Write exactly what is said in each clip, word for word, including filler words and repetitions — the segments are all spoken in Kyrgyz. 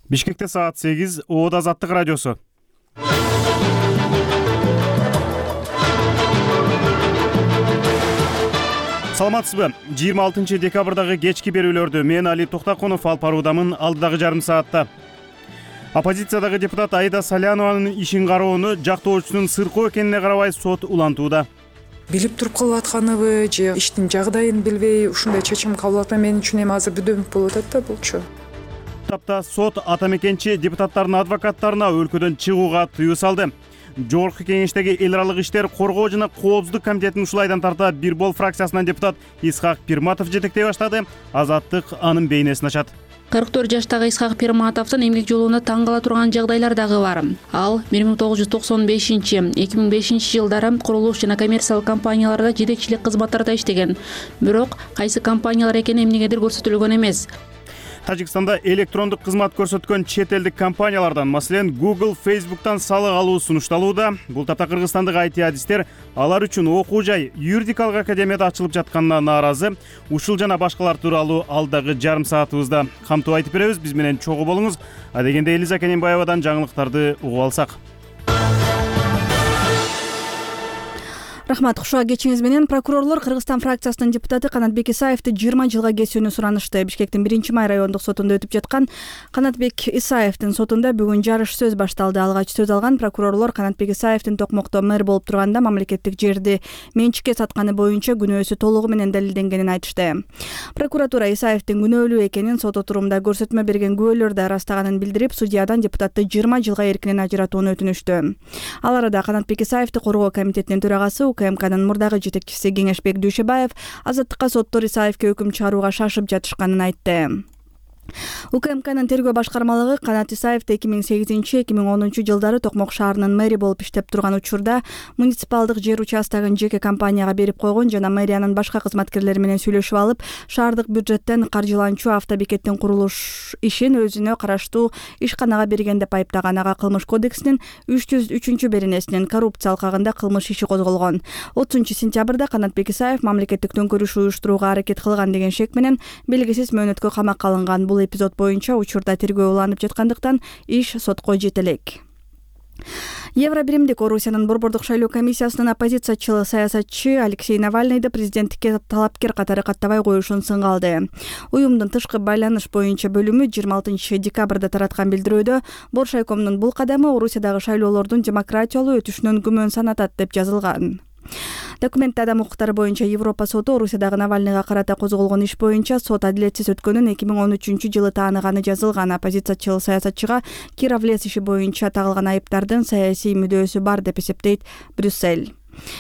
Бишкекте саат сегиз, Оот Азаттык радиосу. Саламатсызбы? жыйырма алтынчы декабрдагы кечки берүүлөрдү мен Али Токтакунов алып баруудамын. Алдыдагы жарым саатта оппозициядагы депутат Аида Салянованын ишин кароону жактоочусунун сыркоо экенине карабай сот улантууда. Билип туруп кылып атканыбы же иштин жагдайын билбей ушундай чечим кабыл алат. Мен үчүн эми азыр бүдөмүк болуп атат да булчу. Тапта сот атамекенчи депутаттардын адвокаттарына өлкөдөн чыгууга тыюу салды. Жогорку кеңештеги эл аралык иштер коргоо жана коопсуздук комитетинин ушулайдан тарта бир бол фракциясынан депутат Исхак Пирматов жетектей баштады. Азаттык анын бейнесин ачат. кырк төрт жаштагы Исхак Пирматовдун эмгек жолуна таң кала турган жагдайлар дагы бар. Ал бир миң тогуз жүз токсон бешинчи — эки миң бешинчи жылдары курулуш жана коммерциялык компанияларда жетекчилик кызматтарда иштеген. Бирок кайсы компаниялар экени эмнегедир көрсөтүлгөн эмес. Тажикстанда электрондук кызмат көрсөткөн чет элдик компаниялардан, маселен, Google, Facebook'тан салык алуу сунушталууда. Бул тапта Кыргызстандык ай ти адистер алар үчүн окуу жай юридикалык академияда ачылып жатканына нааразы. Ушул жана башкалар тууралуу алдагы жарым саатыбызда камтып айтып беребиз. Биз менен чогуу болуңуз. Адегенде Элиза Кененбаевадан жаңылыктарды угуп алсак. Рахмат, кушуга кечиңиз менен. Прокурорлор Кыргызстан фракциясынын депутаты Канатбек Исаевди жыйырма жылга кесүүнү суранышты. Бишкектин биринчи май райондук сотунда өтүп жаткан Канатбек Исаевдин сотунда бүгүн жарыш сөз башталды. Алгач сөз алган прокурорлор Канатбек Исаевдин Токмокто мэр болуп турганда мамлекеттик жерди менчикке сатканы боюнча күнөөсү толугу менен далилденгенин айтышты. Прокуратура Исаевдин күнөөлүү экенин, сот отурумда көрсөтмө берген күбөлөр да ырастаганын билдирип, судьядан депутатты жыйырма жылга эркинен ажыратууну өтүнүштү. Ал арада Канатбек Исаевди коргоо комитетинин төрагасы УКМКнын мурдагы жетекчиси Кеңешбек Дүйшөбаев Азаттыкка соттор Исаевге өкүм чыгарууга шашып жатышканын айтты. УКМКнын тергөө башкармалыгы Канат Исаевди эки миң сегизинчи — эки миң онунчу жылдары Токмок шаарынын мэри болуп иштеп турган учурда муниципалдык жер участогун жеке компанияга берип койгон жана мэриянын башка кызматкерлери менен сүйлөшүп алып, шаардык бюджеттен каржыланчу автобекеттин курулуш ишин өзүнө караштуу ишканага берген деп айыптаган. Ага Кылмыш кодексинин үч жүз үчүнчү беренесинин коррупция алкагында кылмыш иши козголгон. отузунчу сентябрда Канатбек Исаев мамлекеттик төңкөрүш уюштурууга аракет кылган деген шек менен белгисиз мөөнөткө камакка алынган. Бул эпизод боюнча учурда тергөө уланып жаткандыктан иш сотко жете элек. Евро биримдик Орусиянын борбордук шайлоо комиссиясынын оппозициячыл саясатчы Алексей Навальныйды президенттикке талапкер катары каттабай коюшун сынга алды. Уюмдун тышкы байланыш боюнча бөлүмү жыйырма алтынчы декабрда тараткан билдирүүдө Боршайкомдун бул кадамы Орусиядагы шайлоолордун демократиялуу өтүшүнөн күмөн санатат деп жазылган. Документте адам укуктары боюнча Европа соту Орусиядагы Навальныйга карата козголгон иш боюнча сот адилетсиз өткөнүн эки миң он үчүнчү жылы тааныганы жазылган. Оппозициячыл саясатчыга Кировлес иши боюнча тагылган айыптардын саясий мүдөөсү бар деп эсептейт Брюссель.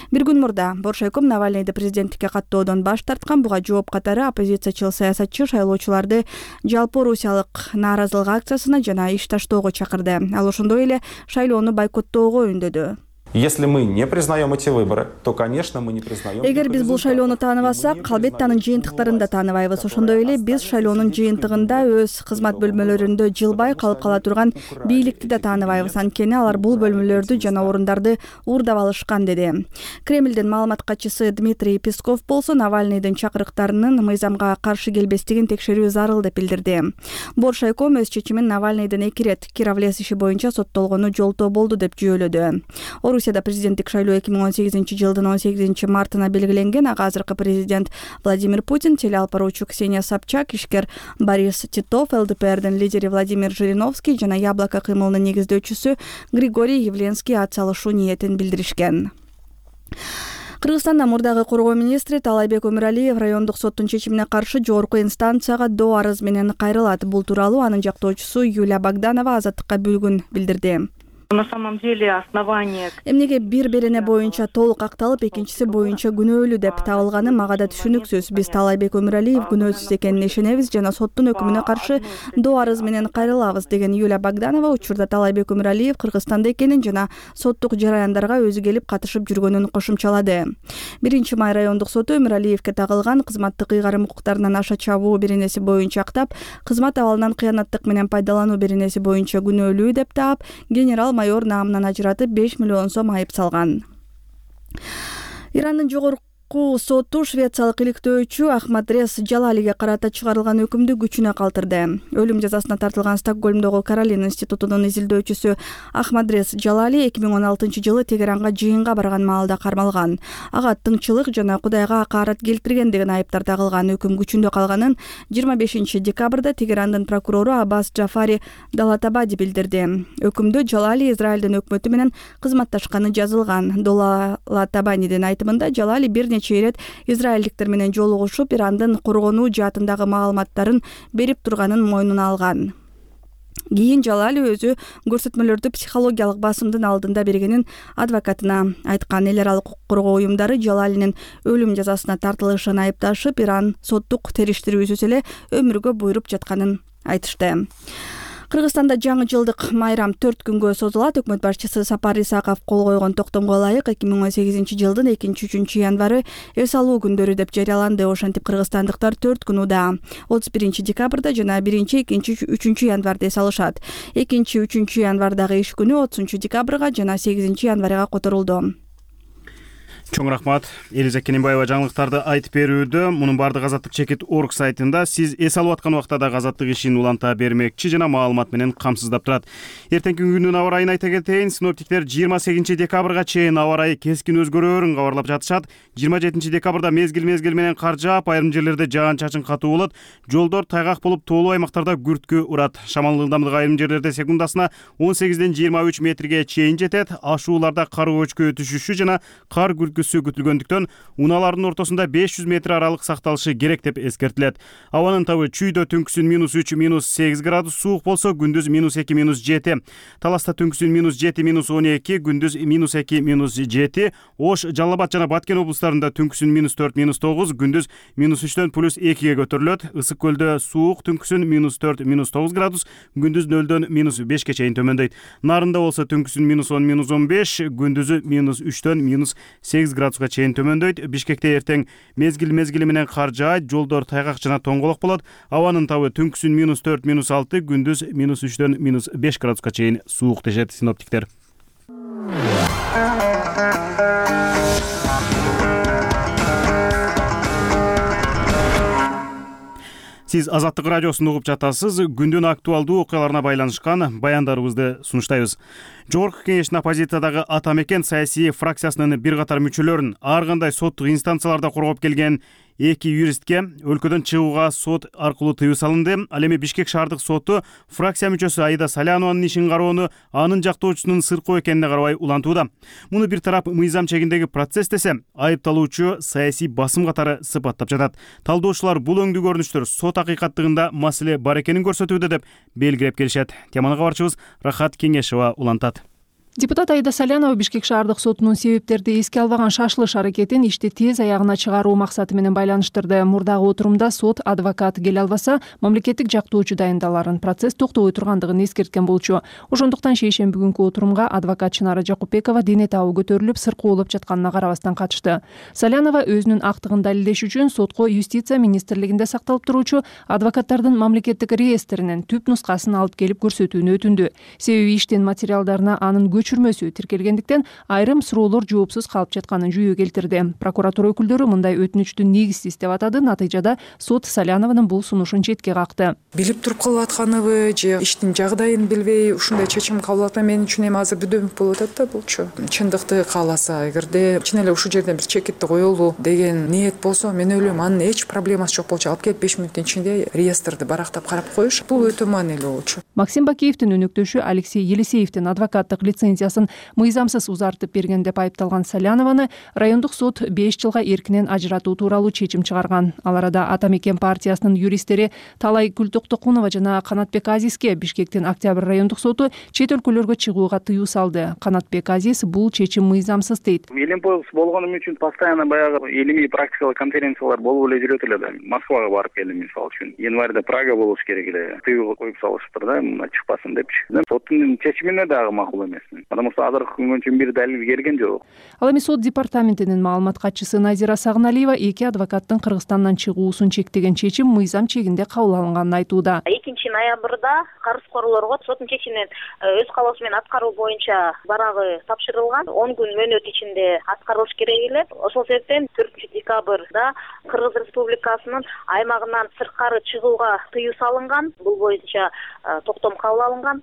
Бир күн мурда Боршайком Навальныйды президенттикке каттоодон баш тарткан. Буга жооп катары оппозициячыл саясатчы шайлоочуларды жалпы орусиялык нааразылык акциясына жана иш таштоого чакырды. Ал ошондой эле шайлоону бойкоттоого үндөдү. Если мы не признаем эти выборы, то, конечно, мы не признаем. Эгер биз бул шайлоону тааныбасак, албетте анын жыйынтыктарын да тааныбайбыз. Ошондой эле биз шайлоонун жыйынтыгында өз кызмат бөлмөлөрүндө жылбай калып кала турган бийликти да тааныбайбыз. Анткени алар бул бөлмөлөрдү жана орундарды уурдап алышкан, деди. Кремлдин маалымат катчысы Дмитрий Песков болсо Навальныйдын чакырыктарынын мыйзамга каршы келбестигин текшерүү зарыл деп билдирди. Боршайком өз чечимин Навальныйдын эки ирет Кировлес иши боюнча соттолгону жолтоо болду деп жүйөлөдү. Орусияда президенттик шайлоо эки миң он сегизинчи жылдын он сегизинчи мартына белгиленген. Ага азыркы президент Владимир Путин, телеалп баруучу Ксения Собчак, ишкер Борис Титов, ЛДПрдин лидери Владимир Жириновский жана Яблоко кыймылынын негиздөөчүсү Григорий Явленский атсалышуу ниетин билдиришкен. Кыргызстанда мурдагы коргоо министри Таалайбек Өмүралиев райондук соттун чечимине каршы жогорку инстанцияга доо арыз менен кайрылат. Бул тууралуу анын жактоочусу Юлия Богданова Азаттыкка бүгүн билдирди. На самом деле основание. Эмнеге бир берене боюнча толук акталып, экинчиси боюнча күнөөлүү деп табылганы мага да түшүнүксүз. Биз Таалайбек Өмүралиев күнөөсүз экенине ишенебиз жана соттун өкүмүнө каршы доо арыз менен кайрылабыз, деген Юлия Богданова учурда Таалайбек Өмүралиев Кыргызстанда экенин жана соттук жараяндарга өзү келип катышып жүргөнүн кошумчалады. биринчи май райондук соту Өмүралиевке тагылган кызматтык ыйгарым укуктарынан аша чабуу беренеси боюнча актап, кызмат абалынан кыянаттык менен пайдалануу беренеси боюнча күнөөлүү деп таап, генерал майор наамынан ажыратып беш миллион сом айып салган. Ирандын жогорку Жогорку соту швециялык иликтөөчү Ахмадрез Жалалиге карата чыгарылган өкүмдү күчүнө калтырды. Өлүм жазасына тартылган Стокгольмдогу Каролина институтунун изилдөөчүсү Ахмадрез Жалали эки миң он алтынчы жылы Тегеранга жыйынга барган маалда кармалган. Ага тыңчылык жана Кудайга акаарат келтирген деген айыптар тагылган. Өкүм күчүндө калганын жыйырма бешинчи декабрда Тегерандын прокурору Аббас Джафари Далатабади билдирди. Өкүмдө Жалали Израилдин өкмөтү менен кызматташканы жазылган. Далатабадинин айтымында Жалали бир нече ирет израилдиктер менен жолугушуп, Ирандын коргонуу жаатындагы маалыматтарын берип турганын мойнуна алган. Кийин Жалали өзү көрсөтмөлөрдү психологиялык басымдын алдында бергенин адвокатына айткан. Эл аралык укук коргоо уюмдары Жалалинин өлүм жазасына тартылышын айыпташып, Иран соттук териштирүүсүз эле өмүргө буйруп жатканын айтышты. Кыргызстанда жаңы жылдык майрам төрт күнгө созулат. Өкмөт башчысы Сапар Исаков кол койгон токтомго ылайык эки миң он сегизинчи жылдын экинчи үчүнчү январы эс алуу күндөрү деп жарыяланды. Ошентип кыргызстандыктар төрт күн уда отуз биринчи декабрда жана биринчи, экинчи, үчүнчү январда эс алышат. экинчи, үчүнчү январдагы иш күнү отузунчу декабрга жана сегизинчи январга которулду. Чоң рахмат. Элиза Кененбаева жаңылыктарды айтып берүүдө. Мунун баардык Азаттык чекит орг сайтында сиз эс алып аткан убакта да Азаттык ишин уланта бермекчи жана маалымат менен камсыздап турат. Эртеңки күндүн аба ырайын айта кетейин. Синоптиктер жыйырма сегизинчи декабрга чейин аба ырайы кескин өзгөрөөрүн кабарлап жатышат. жыйырма жетинчи декабрда мезгил-мезгил менен кар жаап, айрым жерлерде жаан-чачын катуу болот. Жолдор тайгак болуп, тоолуу аймактарда күрткү урат. Шамал ылдамдыгы айрым жерлерде секундасына он сегизден жыйырма үч метрге чейин жетет. Ашууларда кар көчкө түшүшү жана кар күрткүсү күтүлгөндүктөн унаалардын ортосунда беш жүз метр аралык сакталышы керек деп эскертилет. Абанын табы Чүйдө түнкүсүн минус үч, минус сегиз градус суук болсо, күндүз минус эки, минус жети. Таласта түнкүсүн минус жети, минус он эки, күндүз минус эки, минус жети. Ош, Жалал Абад жана Баткен облустарында түнкүсүн минус төрт, минус тогуз, күндүз минус үчтөн плюс экиге көтөрүлөт. Ысык көлдө суук түнкүсүн минус төрт, минус тогуз градус, күндүз нөлдөн минус бешке чейин төмөндөйт. Нарында болсо түнкүсүн минус он, минус он беш, күндүзү минус үчтөн минус сегиз градуска чейин төмөндөйт. Бишкекте эртең мезгил-мезгили менен кар жаайт, жолдор тайгак жана тоңголок болот. Абанын табы түнкүсүн минус төрт, минус алты, күндүз минус үчтөн минус беш градуска чейин суук дешет синоптиктер. Сиз Азаттык радиосун угуп жатасыз. Күндүн актуалдуу окуяларына байланышкан баяндарыбызды сунуштайбыз. Жогорку кеңештин оппозициядагы ата мекен саясий фракциясынын бир катар мүчөлөрүн ар кандай соттук инстанцияларда коргоп келген эки юристке өлкөдөн чыгууга сот аркылуу тыюу салынды. Ал эми Бишкек шаардык соту фракция мүчөсү Аида Салянованын ишин кароону анын жактоочусунун сыркоо экенине карабай улантууда. Муну бир тарап мыйзам чегиндеги процесс десе, айыпталуучу саясий басым катары сыпаттап жатат. Талдоочулар бул өңдүү көрүнүштөр сот акыйкаттыгында маселе бар экенин көрсөтүүдө деп белгилеп келишет. Теманы кабарчыбыз Рахат Кеңешова улантат. Депутат Аида Салянова Бишкек шаардык сотунун себептерди эске албаган шашылыш аракетин ишти тез аягына чыгаруу максаты менен байланыштырды. Мурдагы отурумда сот адвокат келе албаса, мамлекеттик жактоочу дайындаларын, процесс токтобой тургандыгын эскерткен болчу. Ошондуктан шейшемби күнкү отурумга адвокат Чынара Жакупбекова дене табы көтөрүлүп, сыркоолоп жатканына карабастан катышты. Салянова өзүнүн актыгын далилдеш үчүн сотко юстиция министрлигинде сакталып туруучу адвокаттардын мамлекеттик реестринин түп нускасын алып келип көрсөтүүнү өтүндү. Себеби иштин материалдарына анын көчүрмөсү тиркелгендиктен айрым суроолор жоопсуз калып жатканын жүйө келтирди. Прокуратура өкүлдөрү мындай өтүнүчтү негизсиз деп атады. Натыйжада сот Салянованын бул сунушун четке какты. Билип туруп кылып атканыбы же иштин жагдайын билбей ушундай чечим кабыл аткан менин үчүн эми азыр бүдөмүк болуп атат да булчу. Чындыкты кааласа, эгерде чын эле ушул жерден бир чекитти коелу деген ниет болсо, мен ойлойм анын эч проблемасы жок болчу. Алып келип беш мүнөттүн ичинде реестрди барактап карап коюш бул өтө маанилүү болчу. Максим Бакиевдин өнөктөшү Алексей Елисеевдин адвокаттык лицензиясын мыйзамсыз узартып берген деп айыпталган Салянованы райондук сот беш жылга эркинен ажыратуу тууралуу чечим чыгарган. Ал арада Ата мекен партиясынын юристтери Талай Күлтоктокунова жана Канатбек Азизге Бишкектин Октябрь райондук соту чет өлкөлөргө чыгууга тыюу салды. Канатбек Азиз бул чечим мыйзамсыз дейт. Элемпос болгонум үчүн постоянно баягы илимий практикалык конференциялар болуп эле жүрөт эле да. Москвага барып келдим мисалы үчүн. Январда Прага болуш керек эле. Тыюу коюп салышыптыр да, мына чыкпасын депчи. Соттун чечимине дагы макул эмесмин. экен, потому что азыркы күнгө чейин бир далил келген жок. Ал эми сот департаментинин маалымат катчысы Назира Сагыналиева эки адвокаттын Кыргызстандан чыгуусун чектеген чечим мыйзам чегинде кабыл алынганын айтууда. экинчи ноябрда карызкорлорго соттун чечимин өз каалоосу менен аткаруу боюнча барагы тапшырылган. он күн мөөнөт ичинде аткарылыш керек эле. Ошол себептен төртүнчү декабрда Кыргыз Республикасынын аймагынан сырткары чыгууга тыюу салынган. Бул боюнча токтом кабыл алынган.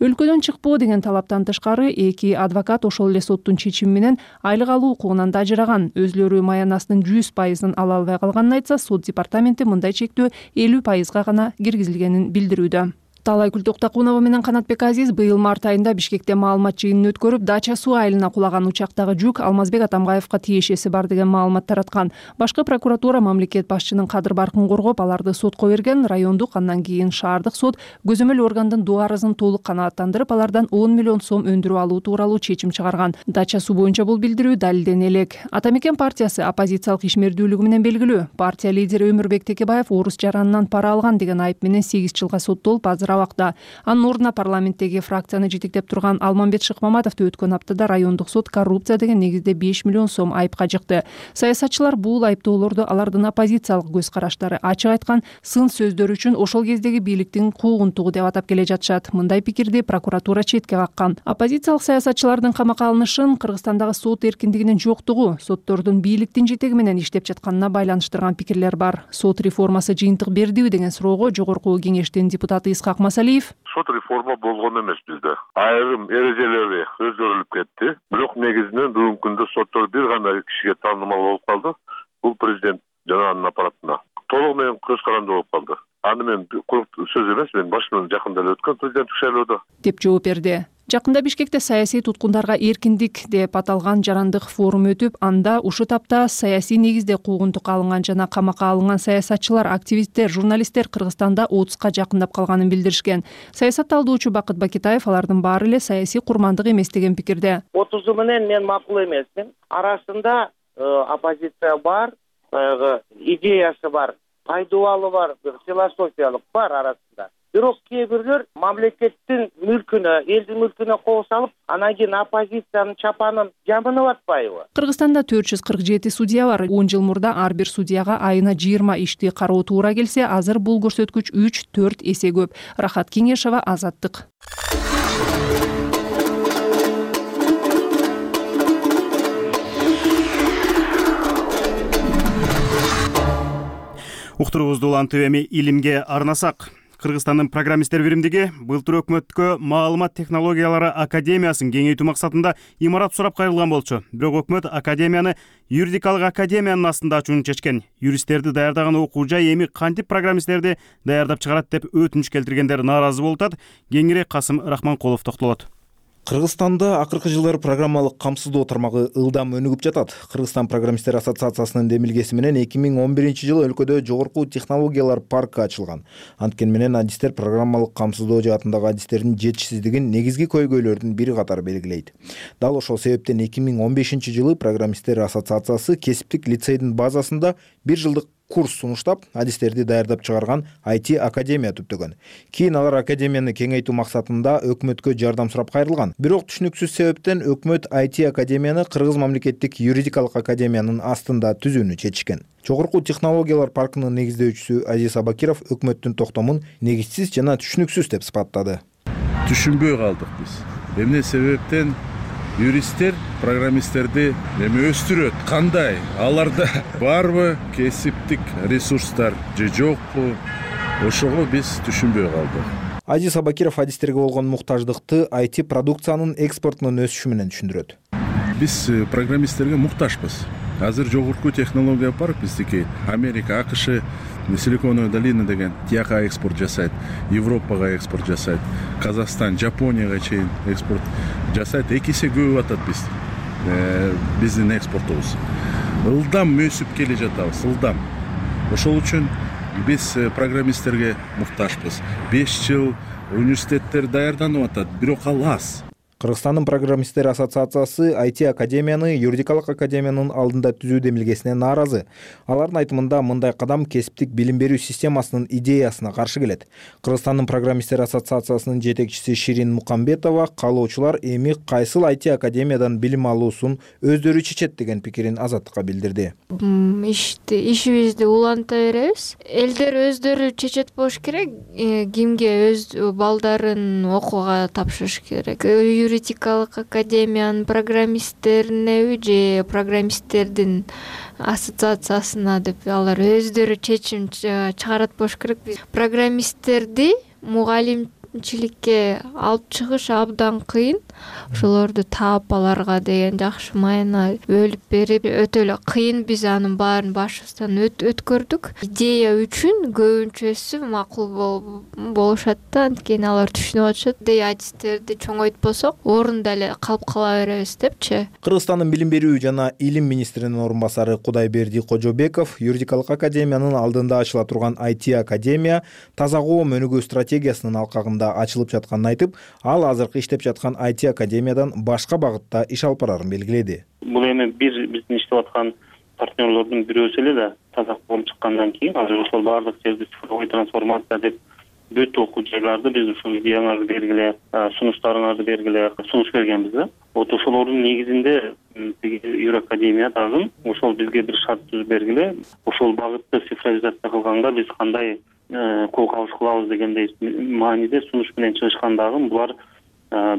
Өлкөдөн чыкпоо деген талаптан тышкары эки адвокат ошол эле соттун чечими менен айлык алуу укугунан да ажыраган. Өзлөрү маянасынын жүз пайызын ала албай калганын айтса, сот департаменти мындай чектөө элүү пайызга гана киргизилгенин билдирүүдө. Таалайгүл Токтокунова менен Канатбек Азиз быйыл март айында Бишкекте маалымат жыйынын өткөрүп, Дача суу айылына кулаган учактагы жүк Алмазбек Атамбаевка тиешеси бар деген маалымат тараткан. Башкы прокуратура мамлекет башчынын кадыр баркын коргоп, аларды сотко берген. Райондук, андан кийин шаардык сот көзөмөл органдын доо арызын толук канааттандырып, алардан он миллион сом өндүрүп алуу тууралуу чечим чыгарган. Дача суу боюнча бул билдирүү далилдене элек. Ата Мекен партиясы оппозициялык ишмердүүлүгү менен белгилүү. Партия лидери Өмүрбек Текебаев орус жаранынан пара алган деген айып менен сегиз жылга соттолуп, азыр абакта. Анын ордуна парламенттеги фракцияны жетектеп турган Алмамбет Шыкмаматовду өткөн аптада райондук сот коррупция деген негизде беш миллион сом айыпка жыкты. Саясатчылар бул айыптоолорду алардын оппозициялык көз караштары, ачык айткан сын сөздөр үчүн ошол кездеги бийликтин куугунтугу деп атап келе жатышат. Мындай пикирди прокуратура четке каккан. Оппозициялык саясатчылардын камакка алынышын Кыргызстандагы сот эркиндигинин жоктугу, соттордун бийликтин жетеги менен иштеп жатканына байланыштырган пикирлер бар. Сот реформасы жыйынтык бердиби деген суроого Жогорку Кеңештин депутаты Исхак Масалиев: сот реформа болгон эмес бизде. Айрым эрежелери өзгөрүлүп кетти. Бирок негизинен бүгүнкү күндө соттор бир гана кишиге таанымал болуп калды. Бул президент жана анын аппаратына. Толугу менен көз каранды болуп калды. Аны мен куруп сөз эмес, мен башынан жакында эле өткөн президенттик шайлоодо деп жооп берди. Жакында Бишкекте саясий туткундарга эркиндик деп аталган жарандык форум өтүп, анда ушул тапта саясий негизде куугунтукка алынган жана камакка алынган саясатчылар, активисттер, журналисттер Кыргызстанда отузга жакындап калганын билдиришкен. Саясатталдоочу Бакыт Бакитаев алардын баары эле саясий курмандык эмес деген пикирде. отузу менен мен макул эмесмин. Арасында оппозиция бар, баягы идеясы бар, пайдубалы бар, философиялык бар арасында. Бирок кээ бирлер мамлекеттин мүлкүнө, элдин мүлкүнө кол салып, анан кийин оппозициянын чапанын жамынып атпайбы? Кыргызстанда төрт жүз кырк жети судья бар. он жыл мурда ар бир судьяга айына жыйырма ишти кароо туура келсе, азыр бул көрсөткүч үч төрт эсе көп. Рахат Кеңешова, Азаттык. Уктуруубузду улантып эми илимге арнасак. Кыргызстандын программисттер биримдиги былтыр өкмөткө маалымат технологиялары академиясын кеңейтүү максатында имарат сурап кайрылган болчу. Бирок өкмөт академияны юридикалык академиянын астында ачууну чечкен. Юристтерди даярдаган окуу жай эми кантип программисттерди даярдап чыгарат деп өтүнүч келтиргендер нааразы болуп атат. Кеңири Касым Рахманкулов токтолот. Кыргызстанда акыркы жылдары программалык камсыздоо тармагы ылдам өнүгүп жатат. Кыргызстан программисттер ассоциациясынын демилгеси менен эки миң он биринчи жылы өлкөдө жогорку технологиялар паркы ачылган. Анткени менен адистер программалык камсыздоо жаатындагы адистердин жетишсиздигин негизги көйгөйлөрдүн бири катары белгилейт. Дал ошол себептен эки миң он бешинчи жылы программисттер ассоциациясы кесиптик лицейдин базасында бир жылдык курс сунуштап, адистерди даярдап чыгарган ай ти академия түптөгөн. Кийин алар академияны кеңейтүү максатында өкмөткө жардам сурап кайрылган. Бирок түшүнүксүз себептен өкмөт ай ти академияны Кыргыз мамлекеттик юридикалык академиянын астында түзүүнү чечишкен. Жогорку технологиялар паркынын негиздөөчүсү Азиз Абакиров өкмөттүн токтомун негизсиз жана түшүнүксүз деп сыпаттады. Түшүнбөй калдык биз. Эмне себептен юристтер программисттерди эми өстүрөт? Кандай? Аларда барбы кесиптик ресурстар же жокпу? Ошого биз түшүнбөй калдык. Азиз Абакиров адистерге болгон муктаждыкты ай ти продукциянын экспортунун өсүшү менен түшүндүрөт. Биз программисттерге муктажбыз. Азыр жогорку технология парк биздики. Америка, АКШ Силиконовая долина деген тияка экспорт жасайт, Европага экспорт жасайт, Казакстан, Жапонияга чейин экспорт жасайт. Эки эсе көбүп атат биз. Биздин экспортубуз. Ылдам өсүп келе жатабыз, ылдам. Ошол үчүн биз программисттерге муктажбыз. беш жыл университеттер даярданып атат, бирок ал аз. Кыргызстандын программисттер ассоциациясы ай ти академияны юридикалык академиянын алдында түзүү демилгесине нааразы. Алардын айтымында мындай кадам кесиптик билим берүү системасынын идеясына каршы келет. Кыргызстандын программисттер ассоциациясынын жетекчиси Ширин Мукамбетова каалоочулар эми кайсыл ай ти академиядан билим алуусун өздөрү чечет деген пикирин Азаттыкка билдирди. Ишти ишибизди уланта беребиз. Элдер өздөрү чечет болуш керек, кимге өз балдарын окууга тапшырыш керек. Юридикалык академиянын программисттерине же программисттердин ассоциациясына деп алар өздөрү чечим чыгарат болуш керек. Программисттерди мугалимчиликке алып чыгыш абдан кыйын. Ошолорду таап аларга деген жакшы майна бөлүп берип өтө эле кыйын. Биз анын баарын башыбыздан өткөрдүк. Идея үчүн көбүнчөсү макул болушат да, анткени алар түшүнүп атышат. Идея адистерди чоңойтпосок, орунда эле калып кала беребиз депчи. Кыргызстандын билим берүү жана илим министринин орун басары Кудайберди Кожобеков юридикалык академиянын алдында ачыла турган ай ти академия таза коом өнүгүү стратегиясынын алкагында ачылып жатканын айтып, ал азыркы иштеп жаткан ай ти академиядан башка багытта иш алып барарын белгиледи. Бул эми бир биздин иштеп аткан партнерлордун бирөөсү эле да таза коом чыккандан кийин азыр ошол баардык жерди цифровой трансформация деп бүт окуу жайларды биз ушул идеяңарды бергиле, сунуштарыңарды бергиле сунуш бергенбиз да. Вот ошолордун негизинде Юракадемия дагы ошол бизге бир шарт түзүп бергиле. Ошол багытты цифровизация кылганга биз кандай кол кабыш кылабыз дегендей мааниде сунуш менен чыгышкандагы булар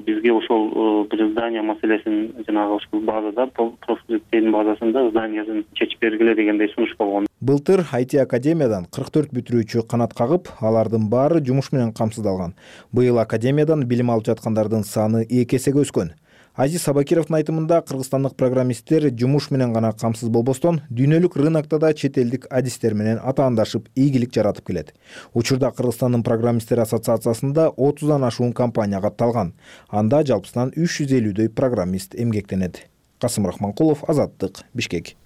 бизге ошол бир здание маселесин жанагы ушул базада профилдин базасында зданиясын чечип бергиле дегендей сунуш болгон. Былтыр ай ти академиядан кырк төрт бүтүрүүчү канат кагып, алардын баары жумуш менен камсыздалган. Быйыл академиядан билим алып жаткандардын саны эки эсеге өскөн. Азиз Сабакировдун айтымында кыргызстандык программисттер жумуш менен гана камсыз болбостон, дүйнөлүк рынокто да чет элдик адистер менен атаандашып, ийгилик жаратып келет. Учурда Кыргызстандын программисттер ассоциациясында отуздан ашуун компания катталган. Анда жалпысынан үч жүз элүүдөй программист эмгектенет. Касым Рахманкулов, Азаттык, Бишкек.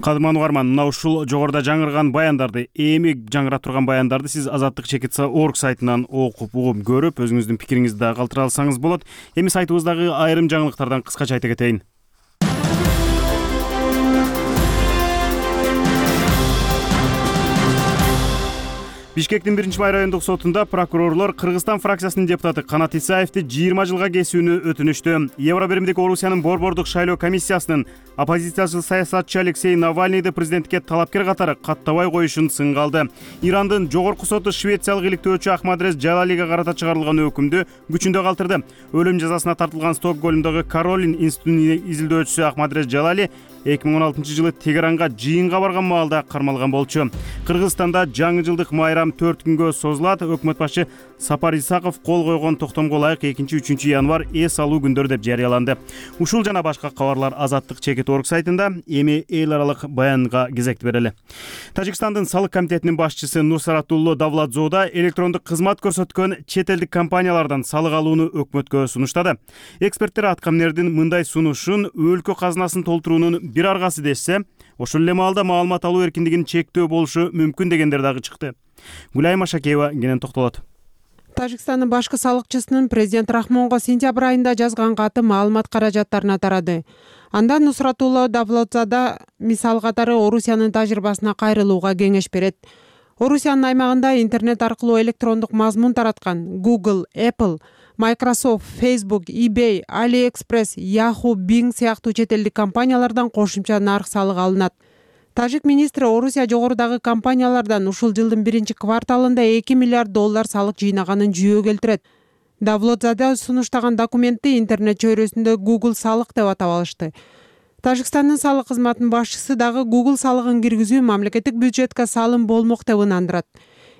Кадырман угарман, мына ушул жогоруда жаңырган баяндарды, эми жаңырап турган баяндарды сиз азаттык чекит точка орг сайтынан окуп, угуп, көрүп, өзүңүздүн пикириңизди да калтыра алсаңыз болот. Эми сайтыбыздагы айрым жаңылыктардан кыскача айта кетейин. Бишкектин биринчи май райондук сотунда прокурорлор Кыргызстан фракциясынын депутаты Канат Исаевди жыйырма жылга кесүүнү өтүнүштү. Евробиримдик Орусиянын борбордук шайлоо комиссиясынын оппозициячы саясатчы Алексей Навальныйды президентке талапкер катары каттабай коюшун сынга алды. Ирандын жогорку соту швециялык иликтөөчү Ахмадрез Джалалиге карата чыгарылган өкүмдү күчүндө калтырды. Өлүм жазасына тартылган Стокгольмдогу Каролин институтунун изилдөөчүсү Ахмадрез Джалали эки миң он алтынчы жылы Тегеранга жыйынга барган маалда кармалган болчу. Кыргызстанда жаңы жылдык майрам төрт күнгө созулат. Өкмөт башы Сапар Исаков кол койгон токтомго ылайык экинчи үчүнчү январь эс алуу күндөрү деп жарыяланды. Ушул жана башка кабарлар азаттык чекит точка орг сайтында. Эми эл аралык баянга кезекти берели. Тажикстандын салык комитетинин башчысы Нурсаратулло Давлатзода электрондук кызмат көрсөткөн чет элдик компаниялардан салык алууну өкмөткө сунуштады. Эксперттер аткамнердин мындай сунушун өлкө казынасын толтуруунун бир аргасы дешсе, ошол эле маалда маалымат алуу эркиндигин чектөө болушу мүмкүн дегендер дагы чыкты. Гүлайым Ашакеева кенен токтолот. Тажикстандын башкы салыкчысынын президент Рахмонго сентябрь айында жазган каты маалымат каражаттарына тарады. Анда Нусратулло Давлатзада мисал катары Орусиянын тажрыйбасына кайрылууга кеңеш берет. Орусиянын аймагында интернет аркылуу электрондук мазмун тараткан Google, Apple, Microsoft, Facebook, eBay, AliExpress, Yahoo, Bing сыяктуу чет элдик компаниялардан кошумча нарк салыгы алынат. Тажик министри Орусия жогорудагы компаниялардан ушул жылдын биринчи кварталында эки миллиард доллар салык жыйнаганын жүйө келтирет. Давлатзада сунуштаган документти интернет чөйрөсүндө Google салык деп атап алышты. Тажикстандын салык кызматынын башчысы дагы Google салыгын киргизүү мамлекеттик бюджетке салым болмок деп ынандырат.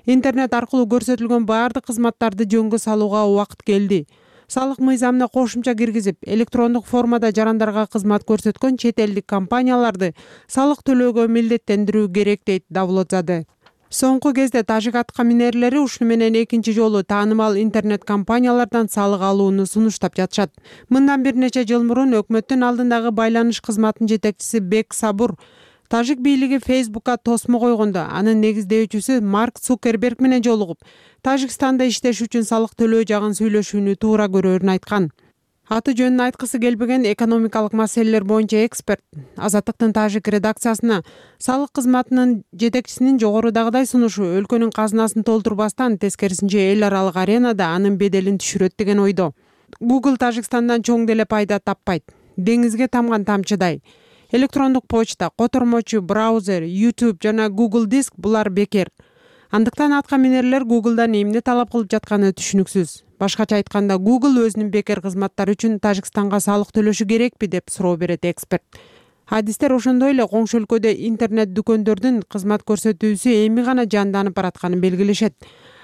Интернет аркылуу көрсөтүлгөн баардык кызматтарды жөнгө салууга убакыт келди. Салык мыйзамына кошумча киргизип, электрондук формада жарандарга кызмат көрсөткөн чет элдик компанияларды салык төлөөгө милдеттендирүү керек дейт Давлатзаде. Соңку кезде тажик аткаминерлери ушуну менен экинчи жолу таанымал интернет компаниялардан салык алууну сунуштап жатышат. Мындан бир нече жыл мурун өкмөттүн алдындагы байланыш кызматынын жетекчиси Бек Сабур Тажик бийлиги Facebook'ка тосмо койгондо анын негиздөөчүсү Марк Цукерберг менен жолугуп, Тажикстанда иштеш үчүн салык төлөө жагын сүйлөшүүнү туура көрөрүн айткан. аты жөнүн айткысы келбеген экономикалык маселелер боюнча эксперт Азаттыктын Тажик редакциясына салык кызматынын жетекчисинин жогорудагыдай сунушу өлкөнүн казынасын толтурбастан, тескерисинче эл аралык аренада анын беделин түшүрөт деген ойдо. Google Тажикстандан чоң деле пайда таппайт. Деңизге тамган тамчыдай. Электрондук почта, котормочу, браузер, YouTube жана Google Диск булар бекер. Андыктан атка минерлер Google'дан эмне талап кылып жатканы түшүнүксүз. Башкача айтканда, Google өзүнүн бекер кызматтары үчүн Тажикстанга салык төлөшү керекпи деп суроо берет эксперт. Адистер ошондой эле коңшу өлкөдө интернет дүкөндөрдүн кызмат көрсөтүүсү эми гана жанданып баратканын белгилешет.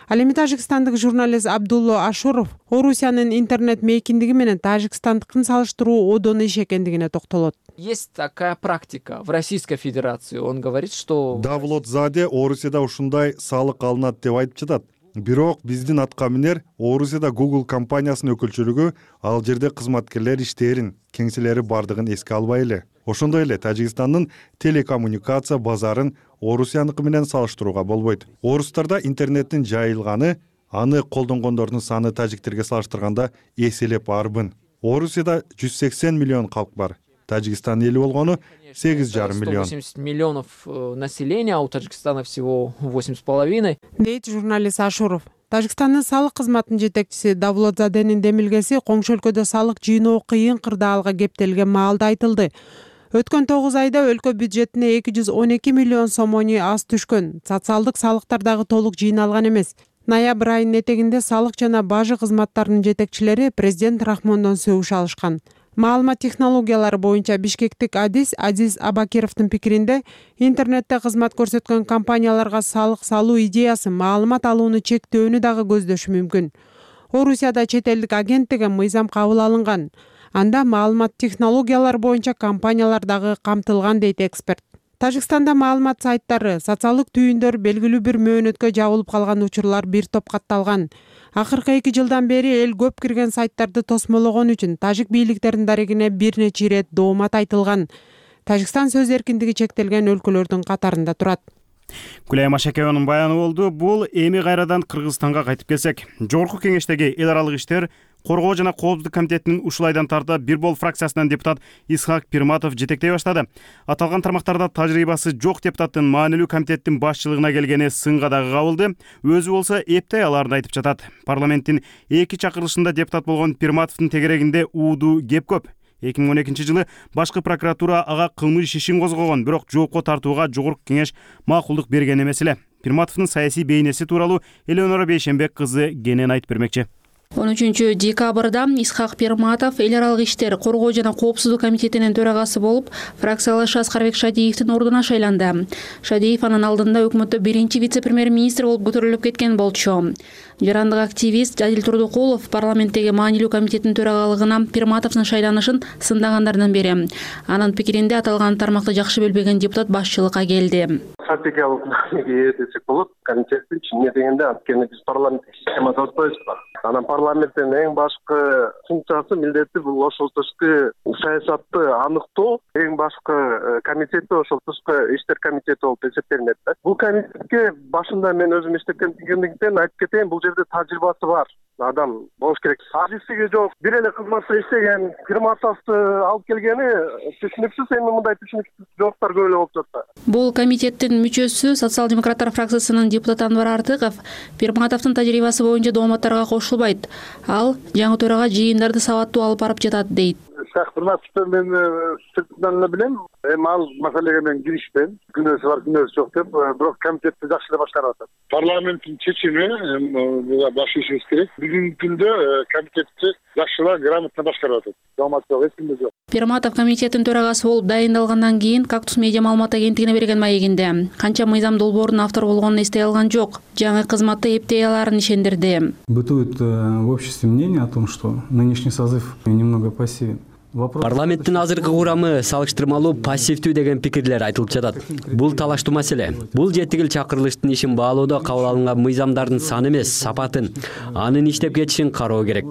Ал эми тажикстандык журналист Абдулло Ашуров Орусиянын интернет мейкиндиги менен тажикстандыкын салыштыруу одон иш экендигине токтолот. Есть такая практика в Российской Федерации. Он говорит, что Давлотзаде Орусияда ушундай салык алынат деп айтып жатат. Бирок биздин атка минер Орусияда Google компаниясынын өкүлчүлүгү ал жерде кызматкерлер иштерин, кеңселери бардыгын эске албай эле. Ошондой эле Тажикстандын телекоммуникация базарын Орусияныкы менен салыштырууга болбойт. Орустарда интернеттин жайылганы, аны колдонгондордун саны тажиктерге салыштырганда эселеп арбын. Орусияда жүз сексен миллион калк бар. Тажикстан эли болгону сегиз жарым миллион. сто восемьдесят миллионов населения, а у Таджикистана всего восемь с половиной. Дейт журналист Ашуров. Тажикстандын салык кызматынын жетекчиси Давлотзаденин демилгеси коңшу өлкөдө салык жыйноо кыйын кырдаалга кептелген маалда айтылды. Өткөн тогуз айда өлкө бюджетине эки жүз он эки миллион сомону аз түшкөн. Социалдык салыктар дагы толук жыйналган эмес. Ноябрь айынын этегинде салык жана бажы кызматтарынын жетекчилери президент Рахмондон сөгүш алышкан. Маалымат технологиялары боюнча бишкектик адис Азиз Абакировдун пикиринде, интернетте кызмат көрсөткөн компанияларга салык салуу идеясы маалымат алууну чектөөнү дагы көздөшү мүмкүн. Орусияда чет элдик агенттиги мыйзам кабыл алынган. Анда маалымат технологиялары боюнча компаниялар дагы камтылган дейт эксперт. Тажикстанда маалымат сайттары, социалдык түйүндөр белгилүү бир мөөнөткө жабылып калган учурлар бир топ катталган. Акыркы эки жылдан бери эл көп кирген сайттарды тосмологон үчүн тажик бийликтеринин дарегине бир нече ирет доомат айтылган. Тажикстан сөз эркиндиги чектелген өлкөлөрдүн катарында турат. Гүлайым Ашакееванын баяны болду. Бул эми кайрадан Кыргызстанга кайтып келсек, Жогорку кеңештеги эл аралык иштер Коргоо жана Коопсуздук комитетинин ушул айдан тарта бир бол фракциясынан депутат Исхак Пирматов жетектей баштады. Аталган тармактарда тажрыйбасы жок депутаттын маанилүү комитеттин башчылыгына келгени сынга дагы кабылды. Өзү болсо эптей аларын айтып жатат. Парламенттин эки чакырылышында депутат болгон Пирматовдун тегерегинде ууду кеп көп. эки миң он экинчи жылы башкы прокуратура ага кылмыш ишин козгогон, бирок жоопко тартууга Жогорку кеңеш макулдук берген эмес эле. Пирматовдун саясий бейнеси тууралуу Элеонора Бейшенбек кызы кенен айтып бермекчи. он үчүнчү декабрда Исхак Пирматов эл аралык иштер Коргоо жана Коопсуздук комитетинин төрагасы болуп, фракциялаш Аскарбек Шадиевдин ордуна шайланды. Шадиев анын алдында өкмөттө биринчи вице-премьер-министр болуп көтөрүлүп кеткен болчу. Жарандык активист Жадил Турдукулов парламенттеги маанилүү комитеттин төрагалыгына Пирматовдун шайланышын сындагандардан бири. Анын пикиринде аталган тармакты жакшы билбеген депутат башчылыкка келди. Стратегиялык маанеге ээ десек болот. Комитеттин чынын дегенде анткени биз парламенттик системада отпойбуз. Анан парламенттин эң башкы функциясы, милдети бул ошол тышкы саясатты аныктоо, эң башкы комитети ошол тышкы иштер комитети болуп эсептелинет да. Бул комитетке башында мен өзүм иштегендиктен айтып кетейин, бул жерде тажрыйбасы бар адам болуш керек. Азиздиги жок, бир эле кызматта иштеген Пирматовду алып келгени түшүнүксүз, эми мындай түшүнүксүз жооптор көп эле болуп жатат. Бул комитеттин мүчөсү социал-демократтар фракциясынын депутаты Анвар Артыков Пирматовдун тажрыйбасы боюнча дооматтарга кошулбайт. Ал жаңы төрага жыйындарды сабаттуу алып барып жатат дейт. Пирматовду мен сыртынан эле билем. Эми ал маселеге мен киришпейм. Күнөөсү бар, күнөөсү жок деп, бирок комитетти жакшы эле башкарып атат. Парламенттин чечими буга баш ийишибиз керек. Бүгүнкү күндө комитетти жакшылап, грамотно башкарып атат. Доомат жок, эч кимде жок. Пирматов комитеттин төрагасы болуп дайындалгандан кийин Кактус медиа маалымат агенттигине берген маегинде канча мыйзам долбоорунун автору болгонун эстей алган жок. Жаңы кызматты эптей аларын ишендирди. Бытует в обществе мнение о том, что нынешний созыв немного пассивен. Парламенттин азыркы курамы салыштырмалуу пассивдүү деген пикирлер айтылып жатат. Бул талаштуу маселе. Бул жети чакырылыштын ишин баалоодо кабыл алынган мыйзамдардын саны эмес, сапатын, анын иштеп кетишин кароо керек.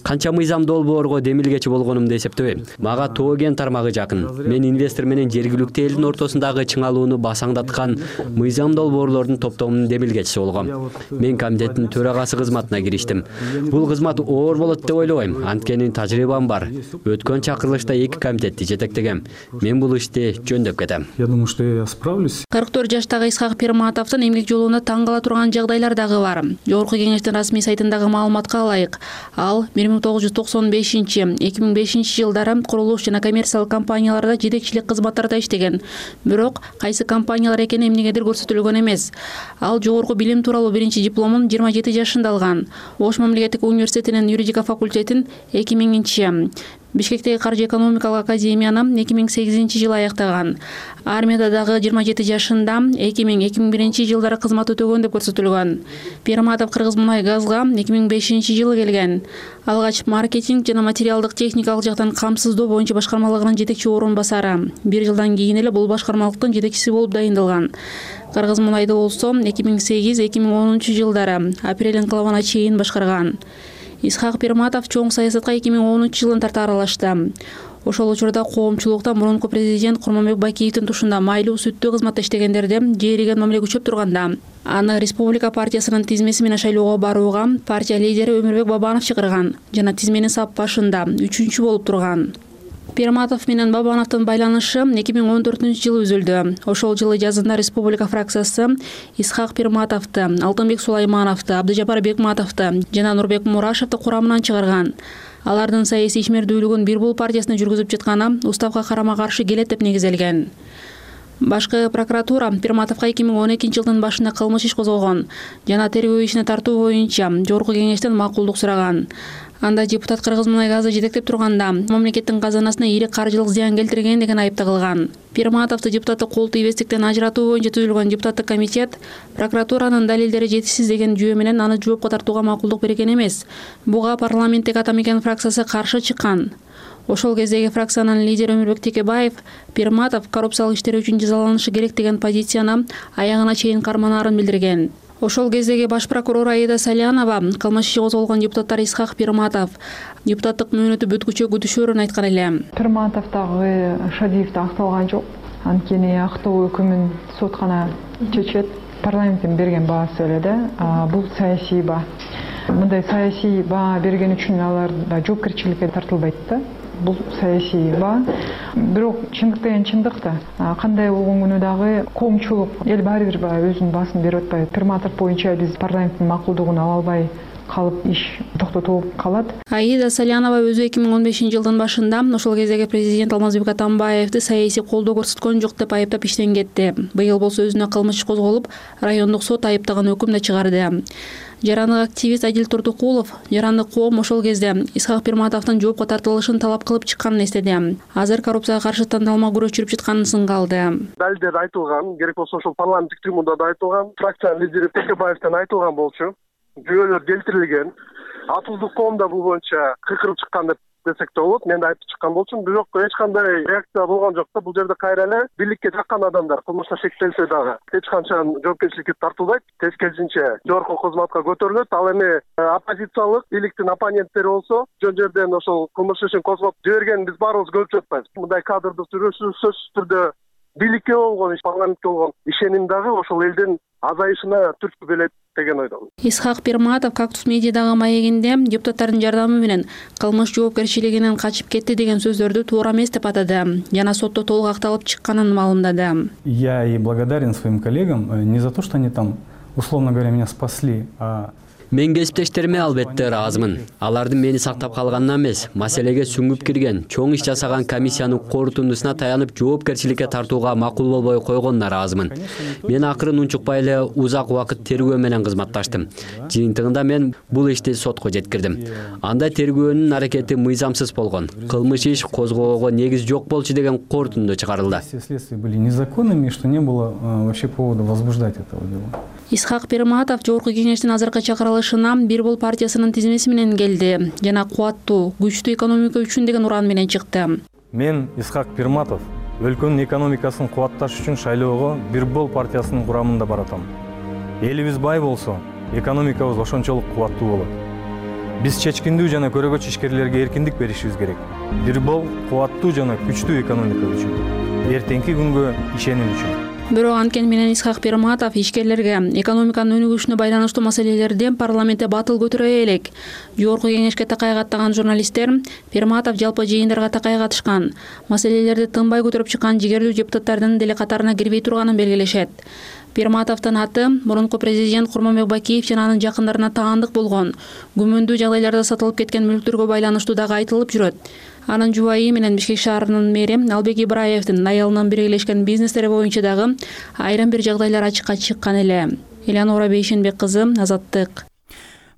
Канча мыйзам долбоорго демилгечи болгонумду эсептебейм. Мага Тоо кен тармагы жакын. Мен инвестор менен жергиликтүү элдин ортосундагы чыңалууну басаңдаткан мыйзам долбоорлордун топтомунун демилгечиси болгом. Мен комитеттин төрагасы кызматына кириштим. Бул кызмат оор болот деп ойлобойм. Анткени тажрыйбам бар. Өткөн чакырылышта эки комитетти жетектегем. Мен бул ишти жөндөп кетем. Я думаю, что я справлюсь. кырк төрт жаштагы Исхак Пирматовдун эмгек жолуна таң кала турган жагдайлар дагы бар. Жогорку кеңештин расмий сайтындагы маалыматка ылайык, ал бир миң тогуз жүз токсон бешинчи — эки миң бешинчи жылдары курулуш жана коммерциялык компанияларда жетекчилик кызматтарда иштеген. Бирок кайсы компаниялар экени эмнегедир көрсөтүлгөн эмес. Ал жогорку билим тууралуу биринчи дипломун жыйырма жети жашында алган. Ош мамлекеттик университетинин юридика факультетин эки миңинчи, Бишкектеги каржы экономикалык академияны эки миң сегизинчи жылы аяктаган. Армияда дагы жыйырма жети жашында эки миң — эки миң биринчи жылдары кызмат өтөгөн деп көрсөтүлгөн. Пирматов Кыргыз мунай газга эки миң бешинчи жылы келген. Алгач маркетинг жана материалдык техникалык жактан камсыздоо боюнча башкармалыгынын жетекчи орун басары. Бир жылдан кийин эле бул башкармалыктын жетекчиси болуп дайындалган. Кыргыз мунайды болсо эки миң сегиз — эки миң онунчу жылдары апрель инкылабына чейин башкарган. Исхак Пирматов чоң саясатка эки миң онунчу жылын тарта аралашты. Ошол учурда коомчулукта мурунку президент Курманбек Бакиевдин тушунда майлуу сүттүү кызматта иштегендерде жээреген мамиле күчөп турганда, аны Республика партиясынын тизмеси менен шайлоого барууга партия лидери Өмүрбек Бабанов чакырган жана тизменин сап башында үчүнчү болуп турган. Пирматов менен Бабановдун байланышы эки миң он төртүнчү жылы үзүлдү. Ошол жылы жазында Республика фракциясы Исхак Пирматовду, Алтынбек Сулаймановду, Абдыжапар Бекматовду жана Нурбек Мурашевди курамынан чыгарган. Алардын саясий ишмердүүлүгүн бир бул партиясына жүргүзүп жатканы уставга карама-каршы келет деп негизделген. Башкы прокуратура Пирматовго эки миң он экинчи жылдын башында кылмыш иш козгогон жана тергөө ишине тартуу боюнча жогорку кеңештен макулдук сураган. Анда депутат Кыргыз мунай газы жетектеп турганда мамлекеттин казанасына ири каржылык зыян келтирген деген айып тагылган. Пирматовду депутаттык кол тийбестиктен ажыратуу боюнча түзүлгөн депутаттык комитет прокуратуранын далилдери жетишсиз деген жүйө менен аны жоопко тартууга макулдук берген эмес. Буга парламенттик ата мекен фракциясы каршы чыккан. Ошол кездеги фракциянын лидери Өмүрбек Текебаев Пирматов коррупциялык иштер үчүн жазаланышы керек деген позицияны аягына чейин карманаарын билдирген. Ошол кездеги баш прокурор Аида Салянова кылмыш иши козголгон депутаттар Исхак Пирматов депутаттык мөөнөтү бүткүчө күтүшөөрүн айткан эле. Пирматов дагы Шадиев да акталган жок. Анткени актоо өкүмүн сот гана чечет. Парламенттин берген баасы эле да. Бул саясий баа. Мындай саясий баа берген үчүн алар да жоопкерчиликке тартылбайт да. Бул саясий баа. Бирок чындык деген чындык да. Кандай болгон күнү дагы коомчулук эл баары бир өзүнүн баасын берип атпайбы. Пирматов боюнча биз парламенттин макулдугун ала албай калып иш токтотулуп калат. Аида Салянова өзү эки миң он бешинчи жылдын башында ошол кездеги президент Алмазбек Атамбаевди саясий колдоо көрсөткөн жок деп айыптап иштен кетти. Быйыл болсо өзүнө кылмыш козголуп, райондук сот айыптаган өкүм да чыгарды. Жарандык активист Адил Турдукулов жарандык коом ошол кезде Исхак Пирматовдун жоопко тартылышын талап кылып чыкканын эстеди. Азыр коррупцияга каршы тандалма күрөш жүрүп жатканын сынгалды. Далилдер айtылган, керек болсо ошол парламенттик трибунада да айтылган, фракциянын лидери Текебаевден айтылган болчу. Жүйөлөр келтирилген. Атылдык коомда бул боюнча кыйкырып чыккан деп десек да болот. Мен да айтып чыккан болчумун, бирок эч кандай реакция болгон жок да. Бул жерде кайра эле бийликке жаккан адамдар кылмышта шектелсе дагы эч качан жоопкерчиликке тартылбайт. Тескерисинче жогорку кызматка көтөрүлөт. Ал эми оппозициялык бийликтин оппоненттери болсо жөн жерден ошол кылмыш ишин козгоп жиберген биз баарыбыз көрүп жатпайбыз. Мындай кадрды сүрөсү сөзсүз түрдө бийликке болгон, парламентке болгон ишеним дагы ошол элдин азайышына түрткү берет деген ойдомун. Исхак Пирматов Кактус медиадагы маегинде депутаттардын жардамы менен кылмыш жоопкерчилигинен качып кетти деген сөздөрдү туура эмес деп атады жана сотто толук акталып чыкканын маалымдады. Я и благодарен своим коллегам не за то, что они там, условно говоря, меня спасли, а Мен кесиптештериме албетте ыраазымын. Алардын мени сактап калганынан эмес, маселеге сүңгүп кирген, чоң иш жасаган комиссиянын корутундусуна таянып жоопкерчиликке тартууга макул болбой койгонуна ыраазымын. Мен акырын унчукпай эле узак убакыт тергөө менен кызматташтым. Жыйынтыгында мен бул ишти сотко жеткирдим. Анда тергөөнүн аракети мыйзамсыз болгон, кылмыш иш козгоого негиз жок болчу деген корутунду чыгарылды. Следствия были незаконными, что не было вообще повода возбуждать этого дела. Исхак Пирматов жогорку кеңештин азыркы чакырылышы чыгарылышына Бир Бол партиясынын тизмеси менен келди жана кубаттуу, күчтүү экономика үчүн деген уран менен чыкты. Мен Исхак Пирматов өлкөнүн экономикасын кубатташ үчүн шайлоого Бир Бол партиясынын курамында баратам. Элибиз бай болсо, экономикабыз ошончолук кубаттуу болот. Биз чечкиндүү жана көрөгөч ишкерлерге эркиндик беришибиз керек. Бир Бол кубаттуу жана күчтүү экономика үчүн, эртеңки күнгө ишеним үчүн. Бирок анткени менен Исхак Пирматов ишкерлерге экономиканын өнүгүшүнө байланыштуу маселелерди парламентте батыл көтөрө элек. Жогорку кеңешке такай каттаган журналисттер Пирматов жалпы жыйындарга такай катышкан, маселелерди тынбай көтөрүп чыккан жигердүү депутаттардын деле катарына кирбей турганын белгилешет. Пирматовдун аты мурунку президент Курманбек Бакиев жана анын жакындарына таандык болгон, күмөндүү жагдайларда сатылып кеткен мүлктөргө байланыштуу дагы айтылып жүрөт. Анын жубайы менен Бишкек шаарынын мэри Албек Ибраевдин аялынын биргелешкен бизнестери боюнча дагы айрым бир жагдайлар ачыкка чыккан эле. Элеонора Бейшенбек кызы, Азаттык.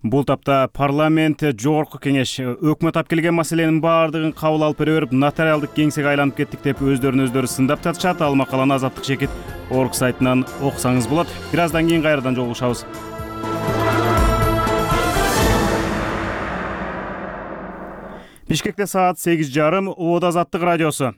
Бул тапта парламент жогорку кеңеш өкмөт алып келген маселенин баардыгын кабыл алып бере берип, нотариалдык кеңсеге айланып кеттик деп өздөрүн өздөрү сындап татышат. Ал макаланы Азаттык жекит орг сайтынан окусаңыз болот. Бир аздан кийин кайрадан жолугушабыз. Бишкекте саат сегиз жарым, Обод Азаттык радиосу.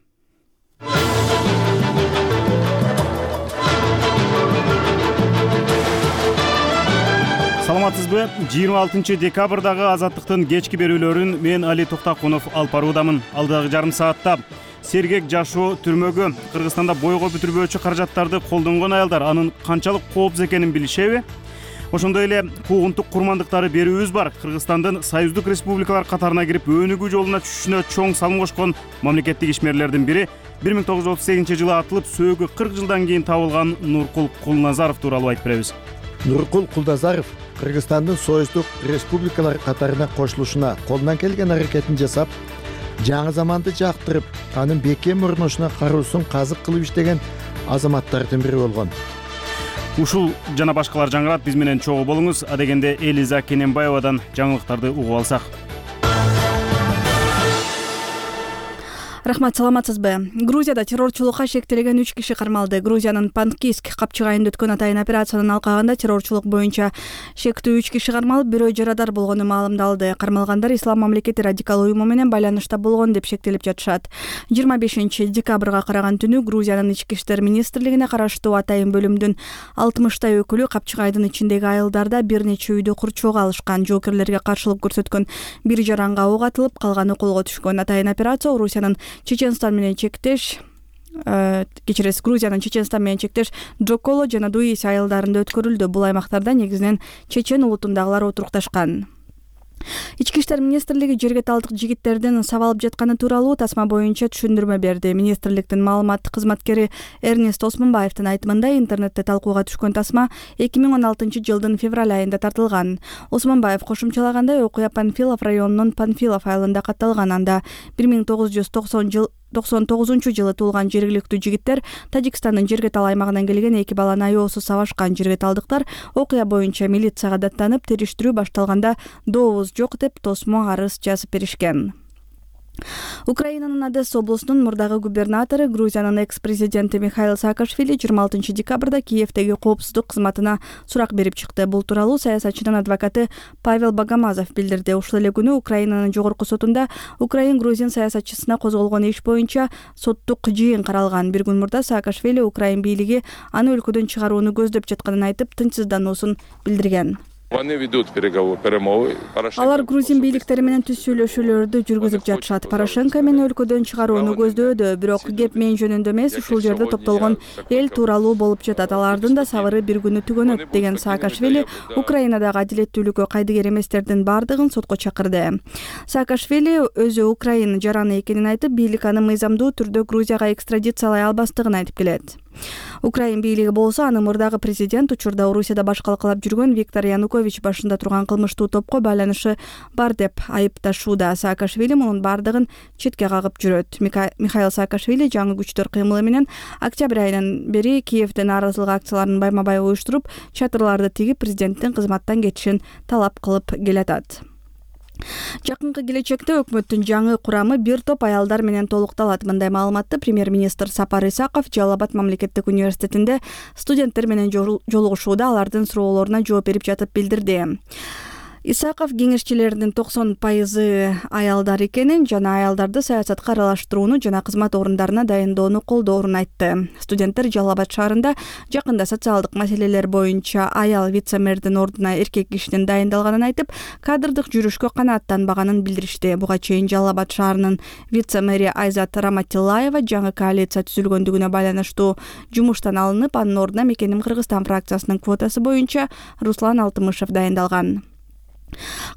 Саламатсызбы? жыйырма алтынчы декабрдагы Азаттыктын кечки берүүлөрүн мен Али Токтакунов алып баруудамын. Алдагы жарым саатта сергек жашоо түрмөгө, Кыргызстанда бойго бүтүрбөөчү каражаттарды колдонгон аялдар анын канчалык коопсуз экенин билишеби? Ошондой эле куугунтук курмандыктары берүүбүз бар. Кыргызстандын союздук республикалар катарына кирип өнүгүү жолуна түшүшүнө чоң салым кошкон мамлекеттик ишмерлердин бири бир миң тогуз жүз отуз сегизинчи жылы атылып, сөөгү кырк жылдан кийин табылган Нуркул Кулназаров тууралуу айтып беребиз. Нуркул Кулназаров Кыргызстандын союздук республикалар катарына кошулушуна колунан келген аракетин жасап, жаңы заманды жактырып, анын бекем мурнушуна кароосун казык кылып иштеген азаматтардын бири болгон. Ушул жана башкалар жаңырат, биз менен чогуу болуңуз. Адегенде Элиза Кененбаевадан жаңылыктарды угуп алсак. Рахмат, саламатсызбы? Грузияда террорчулукка шектелген үч киши кармалды. Грузиянын Панкиск капчыгайында өткөн атайын операциянын алкагында террорчулук боюнча шектүү үч киши кармалып, бирөө жарадар болгону маалымдалды. Кармалгандар Ислам мамлекети радикал уюму менен байланышта болгон деп шектелип жатышат. жыйырма бешинчи декабрга караган түнү Грузиянын ички иштер министрлигине караштуу атайын бөлүмдүн алтымыштай өкүлү капчыгайдын ичиндеги айылдарда бир нече үйдү курчоого алышкан. Жоокерлерге каршылык көрсөткөн бир жаранга ок атылып, калганы колго түшкөн. Атайын операция Орусиянын Чеченстан менен чектеш кечиресиз Грузиянын Чеченстан менен чектеш Джоколо жана Дуиси айылдарында өткөрүлдү. Бул аймактарда негизинен чечен улутундагылар отурукташкан. Ички иштер министрлиги жергеталдык жигиттердин сабалып жатканы тууралуу тасма боюнча түшүндүрмө берди. Министрликтин маалыматтык кызматкери Эрнест Осмонбаевдин айтымында интернетте талкууга түшкөн тасма эки миң он алтынчы жылдын февраль айында тартылган. Осмонбаев кошумчалагандай, окуя Панфилов районунун Панфилов айылында катталган. Анда бир миң тогуз жүз токсон жыл токсон тогузунчу жылы туулган жергиликтүү жигиттер Тажикстандын Жергетал аймагынан келген эки баланы аябсыз сабашкан. Жергеталдыктар окуя боюнча милицияга даттанып, териштирүү башталганда дообуз жок деп тосмо арыз жазып беришкен. Украинанын Одесса облусунун мурдагы губернатору, Грузиянын экс-президенти Михаил Саакашвили жыйырма алтынчы декабрда Киевдеги коопсуздук кызматына сурак берип чыкты. Бул тууралуу саясатчынын адвокаты Павел Богомазов билдирди. Ушул эле күнү Украинанын жогорку сотунда Украин-грузин саясатчысына козголгон иш боюнча соттук жыйын каралган. Бир күн мурда Саакашвили Украин бийлиги аны өлкөдөн чыгарууну көздөп жатканын айтып, тынчсыздануусун билдирген. Алар грузин бийликтери менен түз сүйлөшүүлөрдү жүргүзүп жатышат. Порошенко мени өлкөдөн чыгарууну көздөөдү, бирок кеп мен жөнүндө эмес, ушул жерде топтолгон эл тууралуу болуп жатат. Алардын да сабыры бир күнү түгөнөт, деген Саакашвили Украинадагы адилеттүүлүккө кайдыгер эместердин бардыгын сотко чакырды. Саакашвили өзү Украина жараны экенин айтып, бийлик аны мыйзамдуу түрдө Грузияга экстрадициялай албастыгын айтып келет. Украин бийлиги болсо, аны мурдагы президент учурда Орусияда башкалкалап жүргөн Виктор Янукович башында турган кылмыштуу топко байланышы бар деп айыпташууда. Саакашвили мунун бардыгын четке кагып жүрөт. Михаил Саакашвили жаңы күчтөр кыймылы менен октябрь айынан бери Киевде нааразылык акцияларын байма-бай уюштуруп, чатырларды тигип, президенттин кызматтан кетишин талап кылып келатат. Жакынкы келечекте өкмөттүн жаңы курамы бир топ аялдар менен толукталат. Мындай маалыматты премьер-министр Сапар Исаков Жалал Абад мамлекеттик университетинде студенттер менен жолугушууда алардын суроолоруна жооп берип жатып билдирди. Исаков кеңешчилеринин токсон пайызы аялдар экенин жана аялдарды саясатка аралаштырууну жана кызмат орундарына дайындоону колдоорун айтты. Студенттер Жалал Абад шаарында жакында социалдык маселелер боюнча аял вице-мэрдин ордуна эркек кишинин дайындалганын айтып, кадрдык жүрүшкө канааттанбаганын билдиришти. Буга чейин Жалал Абад шаарынын вице-мэри Айзат Раматиллаева жаңы коалиция түзүлгөндүгүнө байланыштуу жумуштан алынып, анын ордуна Мекеним Кыргызстан фракциясынын квотасы боюнча Руслан Алтымышев дайындалган.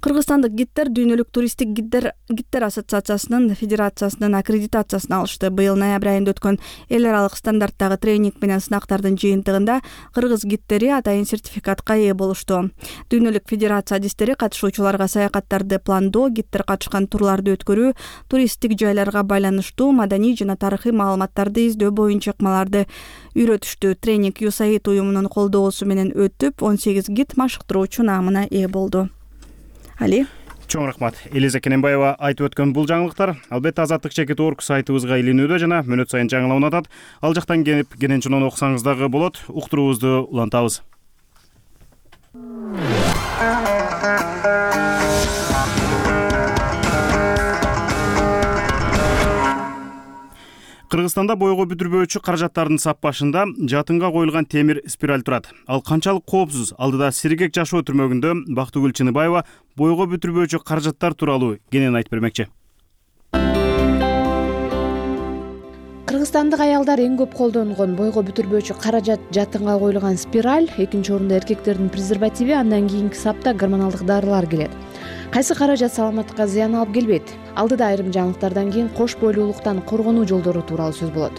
Кыргызстандык гидтер дүйнөлүк туристтик гидтер гидтер ассоциациясынын федерациясынын аккредитациясын алышты. Быйыл ноябрь айында өткөн эл аралык стандарттагы тренинг менен сынактардын жыйынтыгында кыргыз гидтери атайын сертификатка ээ болушту. Дүйнөлүк федерация адистери катышуучуларга саякаттарды пландоо, гидтер катышкан турларды өткөрүү, туристтик жайларга байланыштуу маданий жана тарыхый маалыматтарды издөө боюнча ыкмаларды үйрөтүштү. Тренинг ю эс эй ай уюмунун колдоосу менен өтүп, он сегиз гид машыктыруучу наамына ээ болду. Али. Чоң рахмат. Элиза Кененбаева айтып өткөн бул жаңылыктар албетте азаттык чекит орг сайтыбызга илинүүдө жана мүнөт сайын жаңыланып атат. Ал жактан келип кененчинон окусаңыз дагы болот. Уктуруубузду улантабыз. Кыргызстанда бойго бүтүрбөөчү каражаттардын сап башында жатынга коюлган темир спираль турат. Ал канчалык коопсуз? Алдыда Сиргек жашоо түрмөгүндө Бактыгүл Чыныбаева бойго бүтүрбөөчү каражаттар тууралуу кенен айтып бермекчи. Кыргызстандык аялдар эң көп колдонгон бойго бүтүрбөөчү каражат жатынга коюлган спираль, экинчи орунда эркектердин презервативи, андан кийинки сапта гормоналдык дарылар келет. Кайсы каражат саламатка зыян алып келбейт? Алдыда айрым жаңылыктардан кийин кош бойлуулуктан коргонуу жолдору тууралуу сөз болот.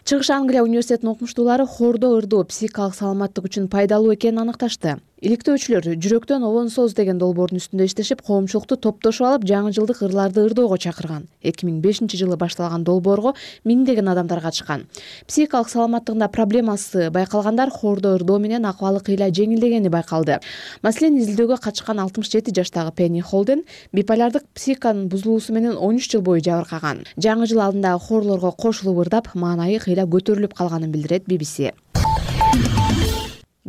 Чыгыш Англия университетинин окумуштуулары хоордоо ырдоо психикалык саламаттык үчүн пайдалуу экенин аныкташты. Иликтөөчүлөр жүрөктөн обонсоз деген долбоордун үстүндө иштешип, коомчулукту топтошуп алып, жаңы жылдык ырларды ырдоого чакырган. эки миң бешинчи жылы башталган долбоорго миңдеген адамдар катышкан. Психикалык саламаттыгында проблемасы байкалгандар хоордоо ырдоо менен акыбалы кыйла жеңилдегени байкалды. Маселен, изилдөөгө катышкан алтымыш жети жаштагы Пенни Холден биполярдык психиканын бузулуусу менен он үч жыл бою жабыркаган. Жаңы жыл алдындагы хоорлорго кошулуп ырдап, маанайы кыйла көтөрүлүп калганын билдирет би би си.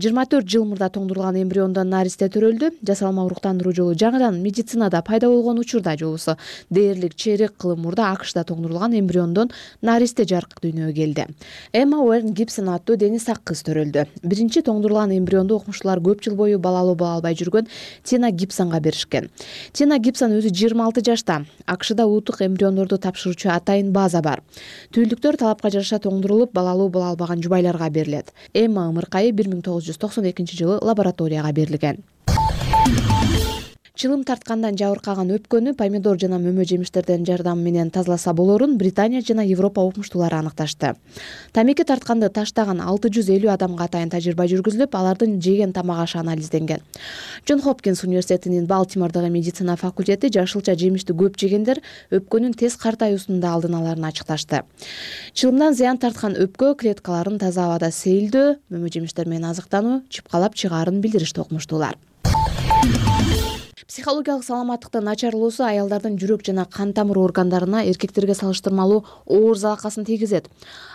жыйырма төрт жыл мурда тоңдурулган эмбриондон наристе төрөлдү. Жасалма уруктандыруу жолу жаңыдан медицинада пайда болгон учурда же болбосо дээрлик чейрек кылым мурда АКШда тоңдурулган эмбриондон наристе жарык дүйнөгө келди. Эмма Уэрн Гибсон аттуу дени сак кыз төрөлдү. Биринчи тоңдурулган эмбрионду окумуштуулар көп жыл бою балалуу боло албай жүргөн Тина Гибсонго беришкен. Тина Гибсон өзү жыйырма алты жашта. АКШда уутук эмбриондорду тапшыруучу атайын база бар. Түйүлдүктөр талапка жараша тоңдурулуп, балалуу боло албаган жубайларга берилет. Эмма ымыркайы бир миң тогуз жүз токсон экинчи жылы лабораторияга берилген. Чылым тарткандан жабыркаган өпкөнү помидор жана мөмө жемиштердин жардамы менен тазаласа болорун Британия жана Европа окумуштуулары аныкташты. Тамеки тартканды таштаган алты жүз элүү адамга атайын тажрыйба жүргүзүлүп, алардын жеген тамак ашы анализденген. Джон Хопкинс университетинин Балтимордогу медицина факультети жашылча жемишти көп жегендер өпкөнүн тез картаюусунун да алдын аларын ачыкташты. Чылымдан зыян тарткан өпкө клеткаларын таза абада сейилдөө, мөмө жемиштер менен азыктануу чыпкалап чыгаарын билдиришти окумуштуулар. Психологиялык саламаттыктын начарлоосу аялдардын жүрөк жана кан тамыр органдарына эркектерге салыштырмалуу оор залакасын тийгизет.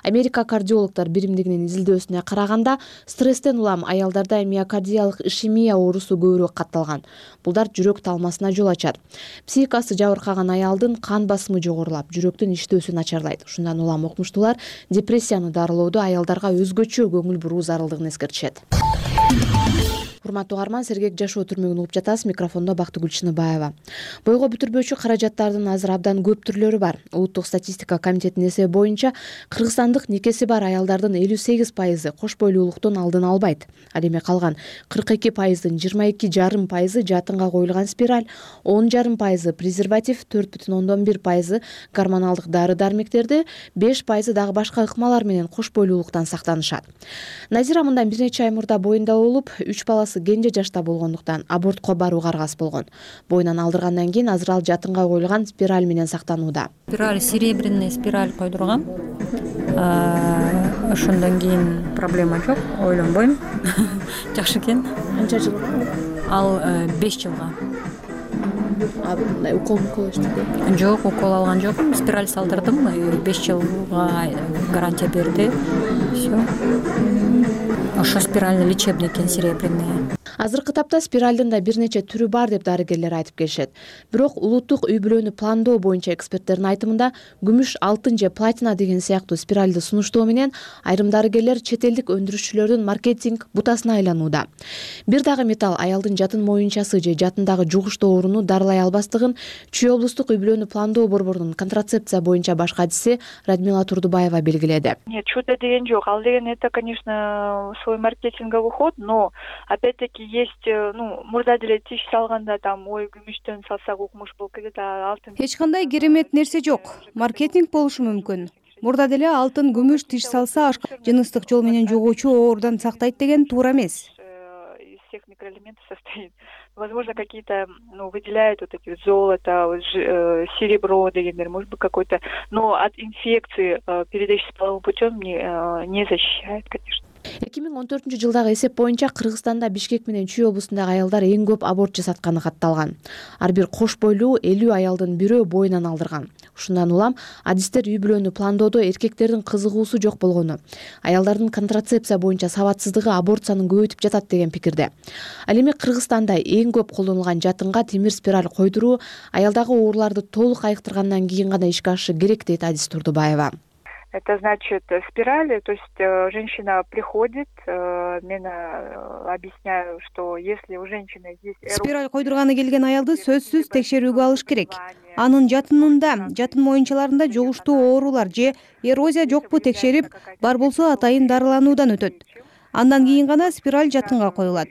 Америка кардиологдор биримдигинин изилдөөсүнө караганда, стресстен улам аялдарда миокардиялык ишемия оорусу көбүрөөк катталган. Булдар жүрөк талмасына жол ачат. Психикасы жабыркаган аялдын кан басымы жогорулап, жүрөктүн иштөөсү начарлайт. Ушундан улам окумуштуулар депрессияны дарылоодо аялдарга өзгөчө көңүл буруу зарылдыгын эскертишет. Урматтуу угарман, Сергек жашоо түрмөгүн угуп жатасыз. Микрофондо Бактыгүл Чыныбаева. Бойго бүтүрбөөчү каражаттардын азыр абдан көп түрлөрү бар. Улуттук статистика комитетинин эсеби боюнча Кыргызстандык никеси бар аялдардын элүү сегиз пайызы кош бойлуулуктун алдын албайт. Ал эми калган кырк эки пайыздын жыйырма эки жарым пайызы жатынга коюлган спираль, он жарым пайызы презерватив, төрт бүтүн ондон бир пайызы гормоналдык дары-дармектерди, беш пайызы дагы башка ыкмалар менен кош бойлуулуктан сактанышат. Назира мындан бир нече ай мурда боюнда болуп, үч баласы кенже жашта болгондуктан абортко барууга аргасыз болгон. Боюнан алдыргандан кийин азыр ал жатынга коюлган спираль менен сактанууда. Спираль, серебряный спираль койдургам. Ошондон кийин проблема жок, ойлонбойм. Жакшы экен. Канча жыл? Ал беш жылга. А мындай укол укол эчтеби? Жок, укол алган жокмун. Спираль салдырдым, беш жылга гарантия берди. Все. ошо спиральный лечебники серебряные. Азыркы тапта спиральдын да бир нече түрү бар деп дарыгерлер айтып келишет. Бирок улуттук үй бүлөнү пландоо боюнча эксперттердин айтымында күмүш, алтын же платина деген сыяктуу спиральды сунуштоо менен айрым дарыгерлер чет элдик өндүрүшчүлөрдүн маркетинг бутасына айланууда. Бир дагы металл аялдын жатын моюнчасы же жатындагы жугуштуу ооруну дарылай албастыгын Чүй облустук үй бүлөнү пландоо борборунун контрацепция боюнча баш катчысы Радмила Турдубаева белгиледи. Нет, чудо деген жок. Ал деген это, конечно, свой маркетинговый ход, но опять-таки есть, ну, мурда деле тиш салганда там ой күмүштөн салсак укмуш болуп кетет, а алтын. Эч кандай керемет нерсе жок. Маркетинг болушу мүмкүн. Мурда деле алтын күмүш тиш салса жыныстык жол менен жугуучу оорудан сактайт деген туура эмес. Из всех микроэлементов состоит. Возможно, какие-то, ну, выделяют вот эти вот золото, вот, э, серебро, дегендер, может быть, какой-то, но от инфекции, э, передающейся половым путем, не, э, не защищает, конечно. эки миң он төртүнчү жылдагы эсеп боюнча Кыргызстанда Бишкек менен Чүй облусундагы аялдар эң көп аборт жасатканы катталган. Ар бир кош бойлуу элүү аялдын бирөө боюнан алдырган. Ушундан улам адистер үй бүлөнү пландоодо эркектердин кызыгуусу жок болгону, аялдардын контрацепция боюнча сабатсыздыгы аборт санын көбөйтүп жатат деген пикирде. Ал эми Кыргызстанда эң көп колдонулган жатынга темир спираль койдуруу аялдагы ооруларды толук айыктыргандан кийин гана ишке ашышы керек дейт адис Турдубаева. Это значит спирали, то есть э, женщина приходит, э, мен э, объясняю, что если у женщины есть эрозия... Спираль койдурганы келген аялды сөзсүз текшерүүгө алыш керек. Анын жатынында, жатын моюнчаларында жугуштуу оорулар же эрозия жокпу текшерип, бар болсо атайын дарылануудан өтөт. Андан кийин гана спираль жатынга коюлат.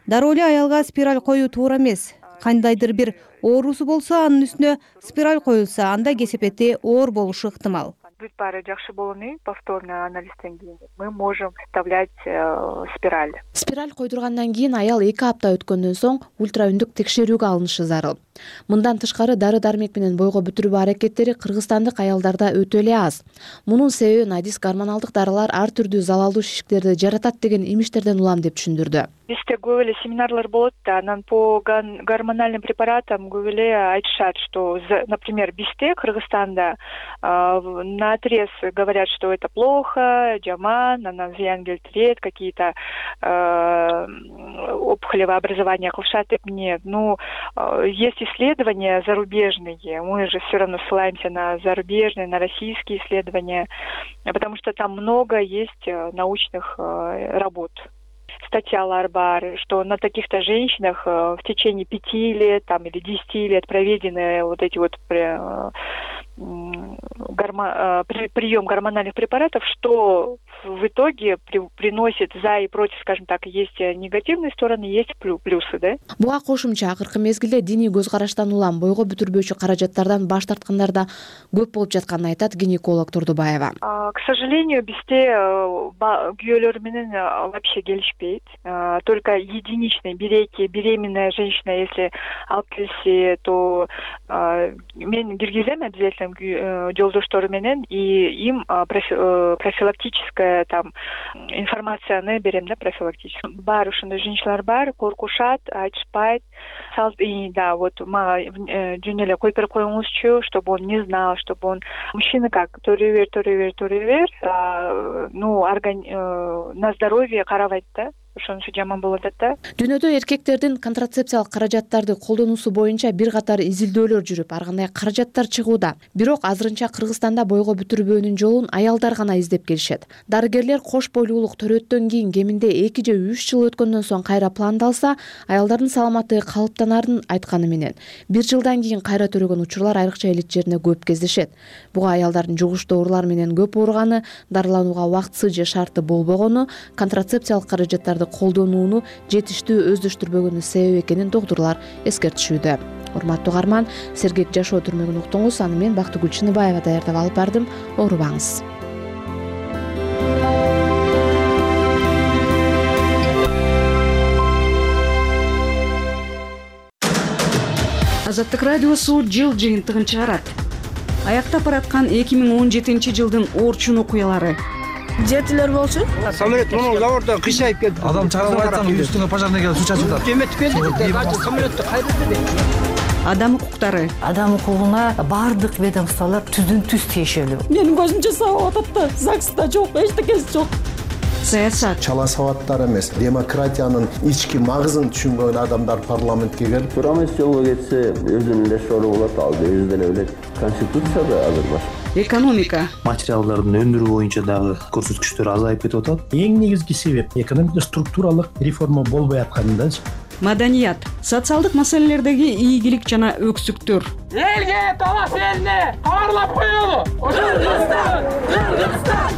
Дароо эле аялга спираль коюу туура эмес. Кандайдыр бир оорусу болсо анын үстүнө спираль коюлса, анда кесепети оор болушу ыктымал. Бүт баары жакшы болуну повторный анализден кийин мы можем вставлять э, спираль. Спираль койдургандан кийин аял эки апта өткөндөн соң ультраүндүк текшерүүгө алынышы зарыл. Мындан тышкары дары-дармек менен бойго бүтүрүү аракеттери кыргызстандык аялдарда өтө эле аз. Мунун себебин адис гормоналдык дарылар ар түрдүү залалдуу шишиктерди жаратат деген имиштерден улам деп түшүндүрдү. Бизде көп эле семинарлар болот да, анан по гормональным препаратам көп эле айтышат, что, например, бизде Кыргызстанда на отрез говорят, что это плохо, жаман, анан зыян келтирет, какие-то э, опухолевые образования кылышат деп. Нет, ну, есть исследования зарубежные, мы же все равно ссылаемся на зарубежные, на российские исследования, потому что там много есть научных работ. Статьялар бар, что на таких-то женщинах в течение пяти лет там, или десяти лет проведены вот эти вот гормо... прием гормональных препаратов, что в итоге при... приносит за и против, скажем так, есть негативные стороны, есть плюсы, да? Буга кошумча акыркы мезгилде диний көз караштан улам бойго бүтүрбөөчү каражаттардан баш тарткандар да көп болуп жатканын айтат гинеколог Турдубаева. К сожалению, бизде күйөөлөр менен вообще келишпейт. Только единичные береки, беременная женщина, если алып келсе, то мен киргизем обязательно жолдоштору менен, и им профилактическая там информацияны берем, да, профилактическую. Бар ушундай женщиналар бар, коркушат, айтышпайт. И да, вот мага жөн эле койуп берип коюңузчу, чтобы он не знал, чтобы он мужчина как төрү бер, төрү бер, төрү бер, ну, на здоровье карабайт да. Ошонусу жаман болуп атат да. Дүйнөдө эркектердин контрацепциялык каражаттарды колдонуусу боюнча бир катар изилдөөлөр жүрүп, ар кандай каражаттар чыгууда. Бирок азырынча Кыргызстанда бойго бүтүрбөөнүн жолун аялдар гана издеп келишет. Дарыгерлер кош бойлуулук төрөттөн кийин кеминде эки же үч жыл өткөндөн соң кайра пландалса, аялдардын саламаттыгы калыптанарын айтканы менен бир жылдан кийин кайра төрөгөн учурлар айрыкча элит жерине көп кездешет. Буга аялдардын жугуштуу оорулар менен көп ооруганы, дарыланууга убактысы же шарты болбогону, контрацепциялык каражаттарды колдонууну жетиштүү өздөштүрбөгөнү себеп экенин доктурлар эскертишүүдө. Урматтуу угарман, сергек жашоо түрмөгүн уктуңуз. Аны мен Бактыгүл Чыныбаева даярдап алып бардым. Оорубаңыз. Азаттык радиосу жыл жыйынтыгын чыгарат. Аяктап бараткан эки миң он жетинчи жылдын Орчун окуялары. Жетилер болчу. Самолет муну заводдо кыйшайып келди. Адам чыгарып айтсам, үстүңө пожарный келип суу чачып атат. Жеметип келди. Самолетту кайрылды. Адам укуктары. Адам укугуна бардык ведомстволор түздүн түз тиешелүү. Менин көзүмчө сабап атат да, ЗАГСта жок, эчтекеси жок. саясат, чала сабаттар эмес, демократиянын ички магызын түшүнгөн адамдар парламентке келип, туура эмес жолго кетсе өзүнүн эле шору болот, ал өзү деле билет. Конституцияда азыр башка. экономика, материалдардын өндүрүү боюнча дагы көрсөткүчтөр азайып кетип атат. Эң негизги себеп экономикада структуралык реформа болбой аткандачы. маданият, социалдык маселелердеги ийгилик жана өксүктөр. Элге талаш элине кабарлап коелу. Кыргызстан, Кыргызстан,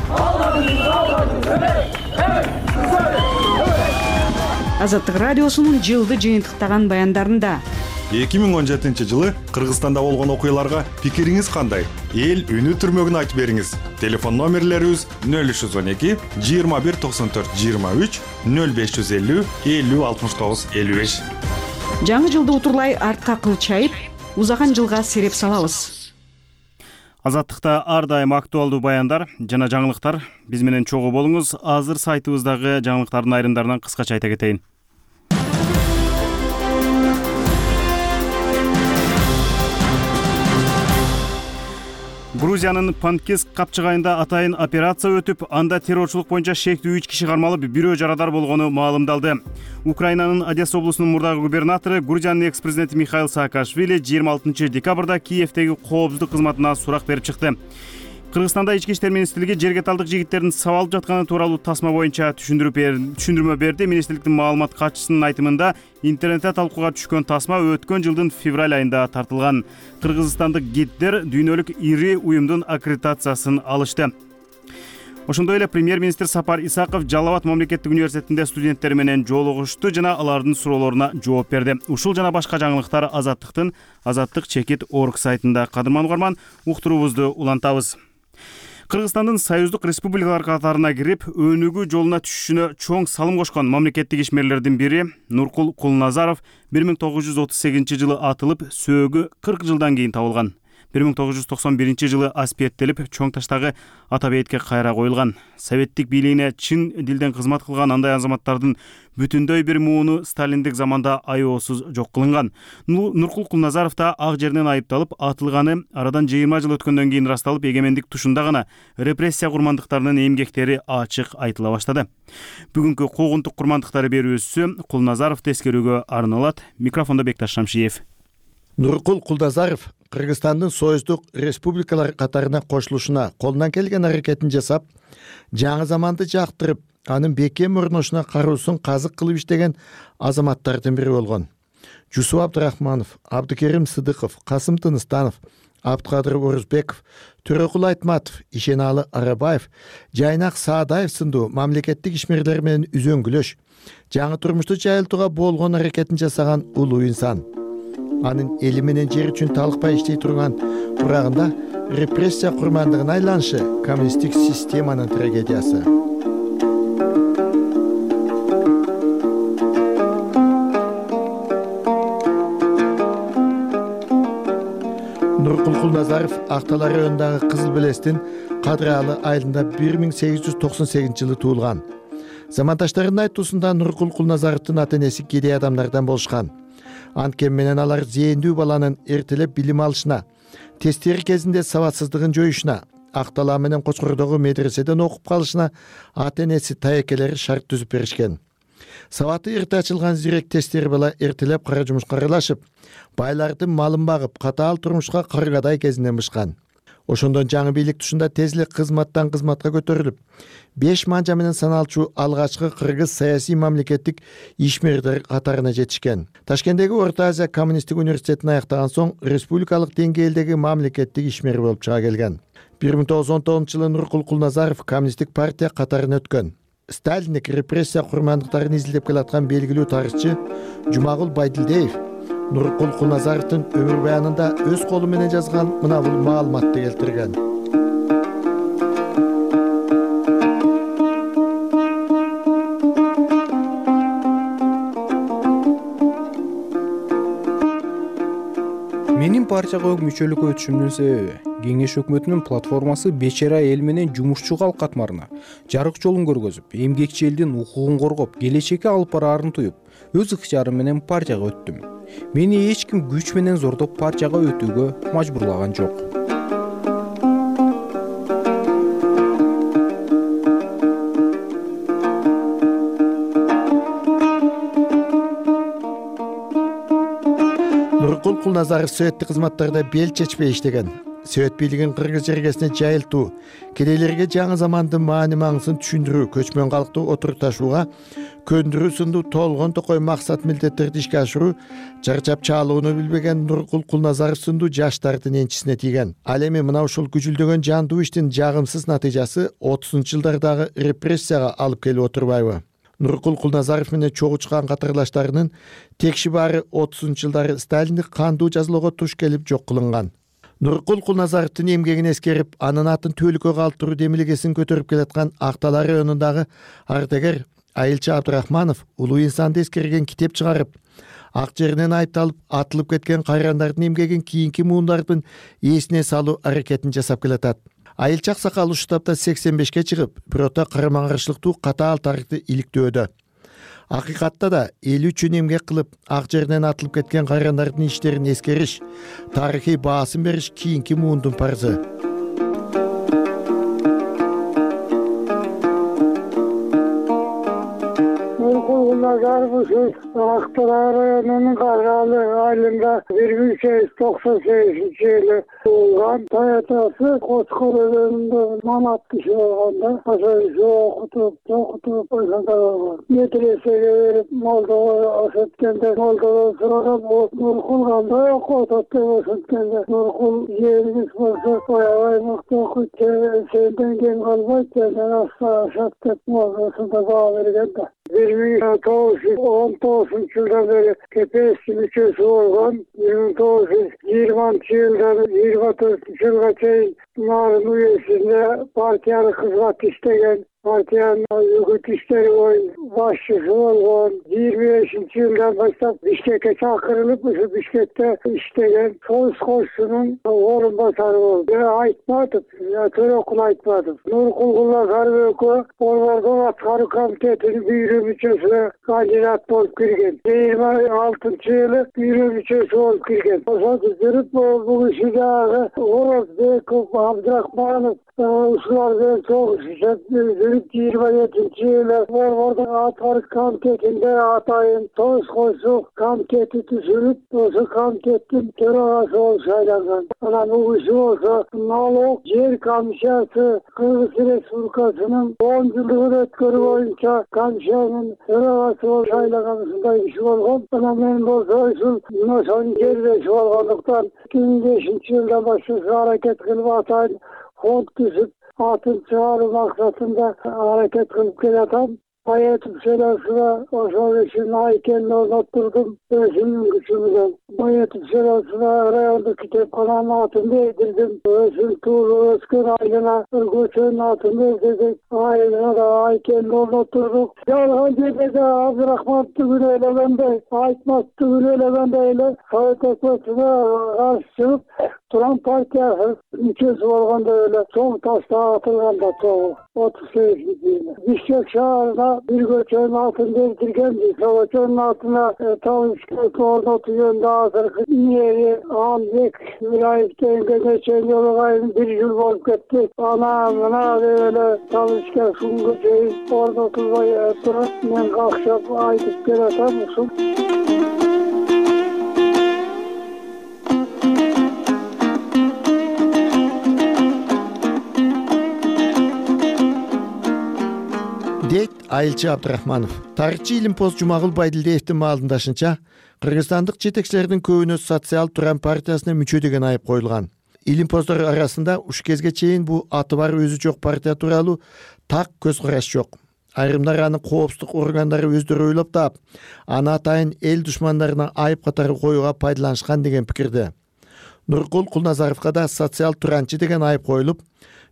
Азаттык радиосунун жылды жыйынтыктаган баяндарында эки миң он жетинчи жылы Кыргызстанда болгон окуяларга пикириңиз кандай? Эл үнү түрмөгүн айтып бериңиз. Телефон номерлерибиз нөл үч жүз он эки жыйырма бир токсон төрт жыйырма үч, нөл беш жүз элүү элүү алтымыш тогуз элүү беш. жаңы жылды утурлай артка кылчайып, узаган жылга сереп салабыз. Азаттыкта ар дайым актуалдуу баяндар жана жаңылыктар. Биз менен чогуу болуңуз. Азыр сайтыбыздагы жаңылыктардын айрымдарынан кыскача айта кетейин. Грузиянын Панкиск капчыгайында атайын операция өтүп, анда террорчулук боюнча шектүү үч киши кармалып, бирөө жарадар болгону маалымдалды. Украинанын Одесса облусунун мурдагы губернатору, Грузиянын экс-президенти Михаил Саакашвили жыйырма алтынчы декабрда Киевдеги коопсуздук кызматына сурак берип чыкты. Кыргызстанда ички иштер министрлиги жерге талдык жигиттердин сабалып жатканы тууралуу тасма боюнча түшүндүрмө берди. Министрликтин маалымат катчысынын айтымында, интернетте талкууга түшкөн тасма өткөн жылдын февраль айында тартылган. Кыргызстандык гиддер дүйнөлүк ири уюмдун аккредитациясын алышты. Ошондой эле премьер-министр Сапар Исаков Жалал Абад мамлекеттик университетинде студенттер менен жолугушту жана алардын суроолоруна жооп берди. Ушул жана башка жаңылыктар Азаттыктын азаттык чекит точка орг сайтында. Кадырман угарман, уктуруубузду улантабыз. Кыргызстандын союздук республикалар катарына кирип, өнүгүү жолуна түшүшүнө чоң салым кошкон мамлекеттик ишмерлердин бири Нуркул Кулназаров бир миң тогуз жүз отуз сегизинчи жылы атылып, сөөгү кырк жылдан кийин табылган. бир миң тогуз жүз токсон биринчи жылы аспиеттелип, чоң таштагы ата бейитке кайра коюлган. Советтик бийлигине чын дилден кызмат кылган андай азаматтардын бүтүндөй бир мууну сталиндик заманда аеосуз жок кылынган. Нуркул Кулназаров да ак жеринен айыпталып, атылганы арадан жыйырма жыл өткөндөн кийин ырасталып, эгемендик тушунда гана репрессия курмандыктарынын эмгектери ачык айтыла баштады. Бүгүнкү куугунтук курмандыктары берүүсү Кулназаровду эскерүүгө арналат. Микрофондо Бекташ Шамшиев. Нуркул Кулназаров Кыргызстандын союздук республикалар катарына кошулушуна колунан келген аракетин жасап, жаңы заманды жактырып, анын бекем мурнушуна каруусун казык кылып иштеген азаматтардын бири болгон. Жусуп Абдрахманов, Абдыкерим Сыдыков, Касым Тыныстанов, Абдыкадыр Орузбеков, Төрөкул Айтматов, Ишеналы Арабаев, Жайнак Саадаев сындуу мамлекеттик ишмерлер менен үзөңгүлөш, жаңы турмушту жайылтууга болгон аракетин жасаган улуу инсан. Анын эли менен жер үчүн талыкпай иштей турган бурагында репрессия курмандыгына айланышы коммунисттик системанын трагедиясы. Нуркул Кулназаров Актал районундагы Кызыл Белестин Кадыралы айылында бир миң сегиз жүз токсон сегизинчи жылы туулган. Замандаштарынын айтуусунда Нуркул Кулназаровдун ата энеси кедей адамдардан болушкан. Анткени менен алар зээндүү баланын эртелеп билим алышына, тесттери кезинде сабатсыздыгын жоюшуна, Актала менен Кочкордогу медреседен окуп калышына ата энеси таекелери шарт түзүп беришкен. Сабаты эрте ачылган зирек тесттери бала эртелеп кара жумушка аралашып, байлардын малын багып, катаал турмушка каргадай кезинен бышкан. Ошондон жаңы бийлик тушунда тез эле кызматтан кызматка көтөрүлүп, беш манжа менен саналчу алгачкы кыргыз саясий мамлекеттик ишмердер катарына жетишкен. Ташкенттеги Орто Азия коммунисттик университетин аяктаган соң республикалык деңгээлдеги мамлекеттик ишмер болуп чыга келген. бир миң тогуз жүз он тогузунчу жылы Нуркул Кулназаров коммунисттик партия катарына өткөн. Сталиндик репрессия курмандыктарын изилдеп келаткан белгилүү тарыхчы Жумагул Байдилдеев Нуркул Кулназаровдун өмүр баянында өз колу менен жазган мына бул маалыматты келтирген. Менин партияга мүчөлүккө өтүшүмдүн себеби Кеңеш өкмөтүнүн платформасы бечара эл менен жумушчу калк катмарына жарык жолун көргөзүп, эмгекчи элдин укугун коргоп, келечекке алып бараарын туюп, өз ыктыярым менен партияга өттүм. Мени эч ким күч менен зордоп партияга өтүүгө мажбурлаган жок. Нуркул Кулназаров сөйөттүк кызматтарда бел чечпей иштеген. Сөйөт бийлигин кыргыз жергесине жайылтуу, кедейлерге жаңы замандын маани маңызын түшүндүрүү, көчмөн калкты отурукташууга көндүрүү сындуу толгон токой максат милдеттерди ишке ашыруу чарчап чаалууну билбеген Нуркул Кулназаров сындуу жаштардын энчисине тийген. Ал эми мына ушул күжүлдөгөн жандуу иштин жагымсыз натыйжасы отузунчу жылдардагы репрессияга алып келип отурбайбы? Нуркул Кулназаров менен чогуу чыккан катарлаштарынын текши баары отузунчу жылдары Сталиндик кандуу жазалоого туш келип жок кылынган. Нуркул Кулназаровдун эмгегин эскерип, анын атын түбөлүккө калтыруу демилгесин көтөрүп келаткан Актала районундагы ардагер Айылчы Абдрахманов улуу инсанды эскерген китеп чыгарып, ак жеринен айыпталып атылып кеткен кайрандардын эмгегин кийинки муундардын эсине салуу аракетин жасап келатат. Айылчы аксакал ушул тапта сексен бешке чыгып, бирөөтө карама каршылыктуу катаал тарыхты иликтөөдө. Акыйкатта да эл үчүн эмгек кылып, ак жеринен атылып кеткен кайрандардын иштерин эскериш, тарыхый баасын бериш кийинки муундун парызы. Актала районунун Каргалы айылында бир миң сегиз жүз токсон сегизинчи жылы туулган. Таятасы Коскор өзөнүндө манат киши болгондо ошо окутуп, окутуп ошондой болгон. Медресеге берип, молдого ошенткенде молдодон сураган, Нуркул кандай окуп атат деп ошенткенде Нуркул жериңиз болсо оябай мыкты окуйт, сенден кем калбайт, сенден ашат деп ошондой баа берген да. бир миң тогуз жүз он тогузунчу жылдан бери КПСстин мүчөсү болгон. бир миң тогуз жүз жыйырманчы жылдан жыйырма төртүнчү жылга чейин Нарын уездинде партиялык кызмат иштеген. Партиянын үгүт иштери боюнча башчысы болгон. жыйырма бешинчи жылдан баштап Бишкекке чакырылып, ушу Бишкекте иштеген. Союз кошчунун орун басары болду. Айтматов, Төрөкул Айтматов. Нуркул Кулназаров экөө Борбордун аткаруу комитетинин бюро мүчөсүнө кандидат болуп кирген. жыйырма алтынчы жылы бюро мүчөсү болуп кирген. Ошентип жүрүп, бул иши дагы Орозбеков, Абдрахманов ушулар менен чогуу иштеп жүрүп, жыйырма жетинчи жылы Борбордун аткаруу комитетинде атайын Союз кошчу комитети түзүлүп, ошол комитеттин төрагасы болуп шайланган. Анан бул иши болсо налог жер комиссиясы Кыргыз Республикасынын он жылдыгын өткөрүү боюнча комиссиянын төрагасы болуп шайланган ушундай иши болгон. Анан мен болсо ушул ошонун жердеши болгондуктан эки миң бешинчи жылдан баштап аракет кылып атайын фонд түзүп, атын чыгаруу максатында аракет кылып келатам. Баятов селосуна ошол ишин айкенин орноттурдум өзүмдүн күчүм менен. Баятов селосуна райондук китепкананын атын бердирдим. Өзүм туулуп өскөн айылына көчөнүн атын бердирдик. Айылына да айкенин орноттурдук. Жалган жерде да Абдрахмановду күнөө элегендей, Айтматовду күнөө элегендей эле Совет өкмөтүнө каршы чыгып, Туран партиясы мүчөсү болгондо эле чоң ташта атылганда чогуу отуз сегизинчи жылы. Бишкек шаарына бир көчөнүн атын бердирген. Ошол көчөнүн атына Талышкек орнотуу жөнүндө азыркы мэри Анбек Мираев дегенге нече жолу кайын бир жыл болуп кетти. Ана мына деп эле Талышкек күнгө чейин орнотулбай турат. Мен какшап айтып келатам ушул. дейт Айылчы Абдрахманов. Тарыхчы Илимпоз Жумагул Байдилдиевдин маалымдашынча, кыргызстандык жетекчилердин көбүнө социал Туран партиясына мүчө деген айып коюлган. Илимпоздор арасында уш кезге чейин бул аты бар өзү жок партия тууралуу так көз караш жок. Айрымдар аны коопсуздук органдары өздөрү ойлоп таап, аны атайын эл душмандарына айып катары коюуга пайдаланышкан деген пикирде. Нуркул Кулназаровго да социал туранчы деген айып коюлуп,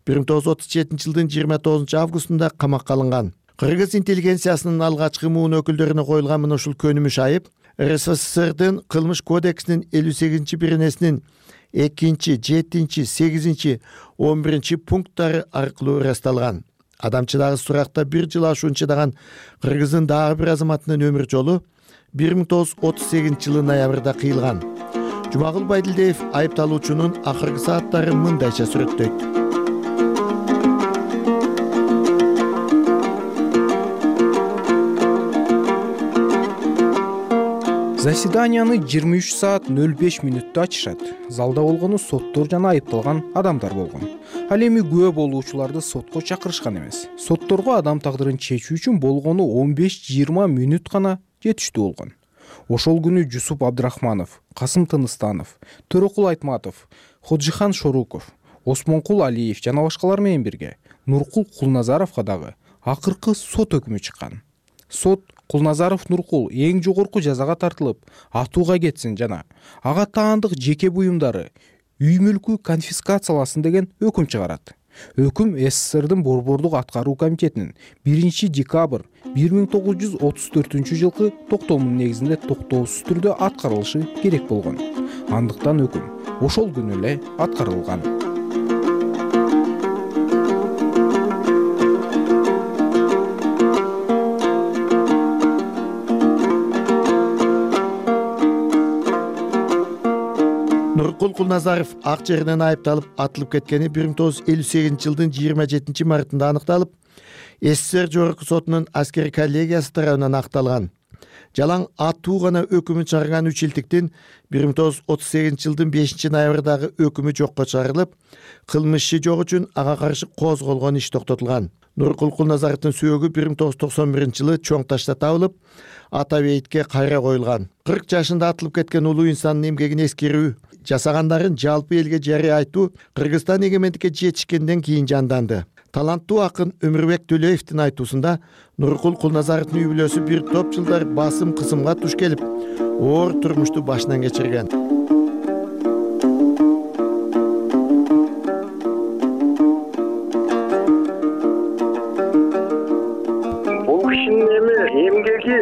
бир миң тогуз жүз отуз жетинчи жылдын жыйырма тогузунчу августунда камакка алынган. Кыргыз интеллигенциясынын алгачкы муун өкүлдөрүнө коюлган мына ушул көнүмүш айып РСФСРдин кылмыш кодексинин элүү сегизинчи беренесинин экинчи, жетинчи, сегизинчи, он биринчи пункттары аркылуу ырасталган. Адамчыдагы суракта бир жыл ашуун чыдаган Кыргыздын дагы бир азаматынын өмүр жолу бир миң тогуз жүз отуз сегизинчи жылы ноябрда кыйылган. Жумагул Байдилдиев айыпталуучунун акыркы сааттарын мындайча сүрөттөйт. заседанияны жыйырма үч саат нөл беш мүнөттө ачышат. Залда болгону соттор жана айыпталган адамдар болгон. Ал эми күбө болуучуларды сотко чакырышкан эмес. Сотторго адам тагдырын чечүү үчүн болгону он беш жыйырма мүнөт гана жетиштүү болгон. Ошол күнү Жусуп Абдрахманов, Касым Тыныстанов, Төрөкул Айтматов, Ходжихан Шоруков, Осмонкул Алиев жана башкалар менен бирге Нуркул Кулназаровго дагы акыркы сот өкүмү чыккан. Сот Кулназаров Нуркул эң жогорку жазага тартылып, атууга кетсин жана ага таандык жеке буюмдары, үй мүлкү конфискацияласын деген өкүм чыгарат. Өкүм СССРдин Борбордук аткаруу комитетинин биринчи декабрь бир миң тогуз жүз отуз төртүнчү жылкы токтомунун негизинде токтоосуз түрдө аткарылышы керек болгон. Андыктан өкүм ошол күнү эле аткарылган. Нуркул Кулназаров ак жеринен айыпталып атылып кеткени бир миң тогуз жүз элүү сегизинчи жылдын жыйырма жетинчи мартында аныкталып, СССР жогорку сотунун аскер коллегиясы тарабынан акталган. Жалаң атуу гана өкүмү чыгарган үч илтиктин бир миң тогуз жүз отуз сегизинчи жылдын бешинчи ноябрдагы өкүмү жокко чыгарылып, кылмышчы жок үчүн ага каршы козголгон иш токтотулган. Нуркул Кулназаровдун сөөгү бир миң тогуз жүз токсон биринчи жылы чоң ташта табылып, ата бейитке кайра коюлган. кырк жашында атылып кеткен улуу инсандын эмгегин эскерүү, жасагандарын жалпы элге жарыя айтуу Кыргызстан эгемендикке жетишкенден кийин жанданды. Таланттуу акын Өмүрбек Төлөевдин айтуусунда Нуркул Кулназаровдун үй бүлөсү бир топ жылдар басым кысымга туш келип, оор турмушту башынан кечирген. Бул кишинин эми эмгеги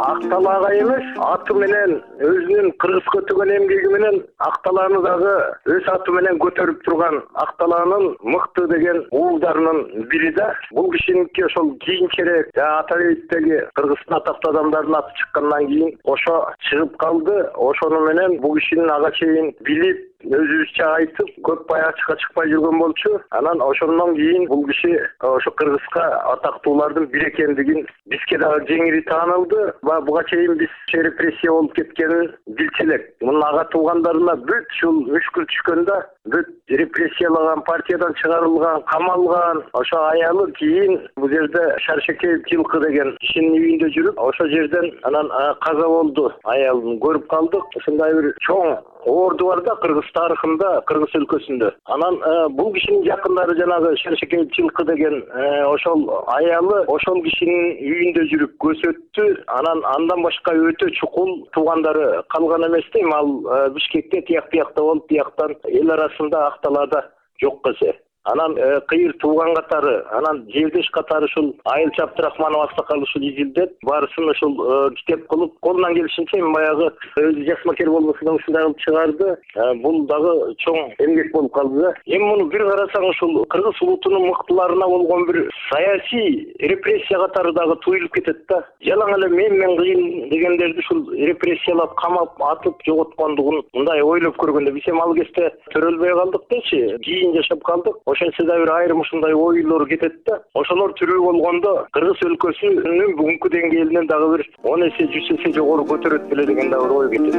акталаага эмес, аты менен өзүнүн кыргызга өтөгөн эмгеги менен акталааны дагы өз аты менен көтөрүп турган акталаанын мыкты деген уулдарынын бири да. Бул кишиники ошол кийинчерээк ата бейиттеги Кыргыздын атактуу адамдарынын аты чыккандан кийин ошо чыгып калды. Ошону менен бул кишинин ага чейин билип, өзүбүзчө айтып, көп ачыкка чыкпай жүргөн болчу. Анан ошондон кийин бул киши ошо Кыргызга атактуулардын бири экендигин бизге дагы жеңири таанылды. Буга чейин биз репрессия болуп кеткенин билчү элек. Мунун ага туугандарына бүт ушул мүшкүл түшкөндө, бүт репрессиялаган, партиядан чыгарылган, камалган ошо аялы кийин бул жерде Шаршекеев Жылкы деген кишинин үйүндө жүрүп, ошо жерден анан каза болду. Аялын көрүп калдык. Ушундай бир чоң орду бар да Кыргыз тарыхында, Кыргыз өлкөсүндө. Анан бул кишинин жакындары жанагы Шаршекеев Жылкы деген ошол аялы ошол кишинин үйүндө жүрүп көзөттү. Анан андан башка өтө чукул туугандары калган эмес дейм. Ал Бишкекте тияк биякта болуп, тияктан эл арасында акталаада жок кесе. Анан кыйыр тууган катары, анан жердеш катары ушул Айылчы Абдрахманов аксакал ушул изилдеп, баарысын ушул китеп кылып, колунан келишинче баягы өзү жасмакер болбосо да ушундай кылып чыгарды. Бул дагы чоң эмгек болуп калды да. Эми муну бир карасаң ушул кыргыз улутунун мыктыларына болгон бир саясий репрессия катары дагы туюлуп кетет да. Жалаң эле мен мен кыйын дегендерди ушул репрессиялап, камап, атып жоготкондугун мындай ойлоп көргөндө биз эми ал кезде төрөлбөй калдык дечи, кийин жашап калдык. Ошентсе да бир айрым ушундай ойлор кетет да. Ошолор түрүү болгондо Кыргыз өлкөсүнүн бүгүнкү деңгээлинен дагы бир он эсе, жүз эсе жогору көтөрөт беле деген да бир ой кетет.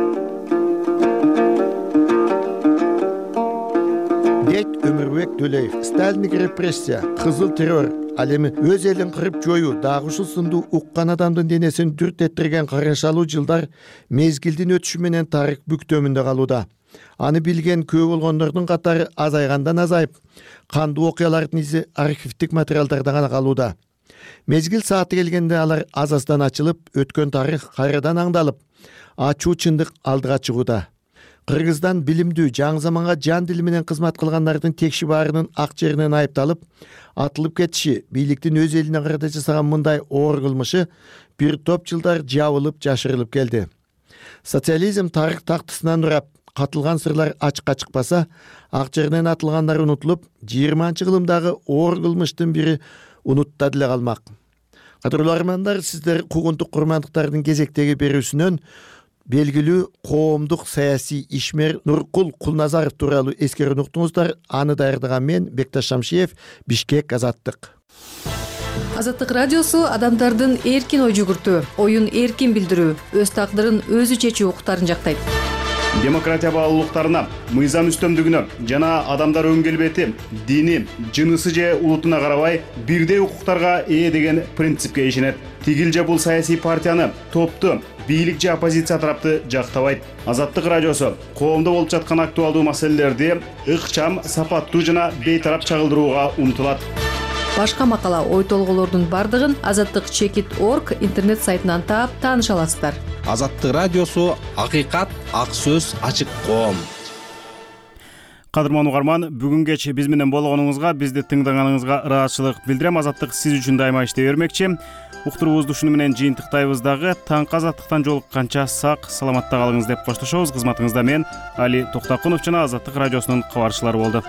Дейт Өмүрбек Төлөев. Сталиндик репрессия, кызыл террор, ал эми өз элин кырып жоюу дагы ушул сындуу уккан адамдын денесин дүрт этирген карышалуу жылдар мезгилдин өтүшү менен тарых бүктөмүндө калууда. Аны билген көп болгондордун катары азайгандан азайып, кандуу окуялардын изи архивдик материалдарда гана калууда. Мезгил сааты келгенде алар аз-аздан ачылып, өткөн тарых кайрадан аңдалып, ачуу чындык алдыга чыгууда. Кыргыздан билимдүү, жаңы заманга жан дили менен кызмат кылгандардын текши баарынын ак жеринен айыпталып, атылып кетиши, бийликтин өз элине карата жасаган мындай оор кылмышы бир топ жылдар жабылып, жашырылып келди. Социализм тарых тактысынан урап, катылган сырлар ачыкка чыкпаса, ак жеринен атылгандар унутулуп, жыйырманчы кылымдагы оор кылмыштын бири унутта деле калмак. Кадырлуу армандар, сиздер куугунтук курмандыктардын кезектеги берүүсүнөн белгилүү коомдук саясий ишмер Нуркул Кулназаров тууралуу эскерүүнү уктуңуздар. Аны даярдаган мен Бекташ Шамшиев, Бишкек, Азаттык. Азаттык радиосу адамдардын эркин ой жүгүртүү, оюн эркин билдирүү, өз тагдырын өзү чечүү укуктарын жактайт. Демократия баалуулуктарына, мыйзам үстөмдүгүнө жана адамдар өң келбети, дини, жынысы же улутуна карабай бирдей укуктарга ээ деген принципке ишенет. Тигил же бул саясий партияны, топту, бийлик же оппозиция тарапты жактабайт. Азаттык радиосу коомдо болуп жаткан актуалдуу маселелерди ыкчам, сапаттуу жана бейтарап чагылдырууга умтулат. Башка макала, ой толгоолордун бардыгын азаттык чекит орг интернет сайтынан таап тааныша аласыздар. Азаттык радиосу акыйкат, ак сөз, ачык коом. Кадырман угарман, бүгүн кеч биз менен болгонуңузга, бизди тыңдаганыңызга ыраазычылык билдирем. Азаттык сиз үчүн дайыма иштей бермекчи. Уктуруубузду ушуну менен жыйынтыктайбыз дагы. Таңкы азаттыктан жолукканча сак, саламатта калыңыз деп коштошобуз. Кызматыңызда мен Али Токтокунов жана Азаттык радиосунун кабарчылары болду.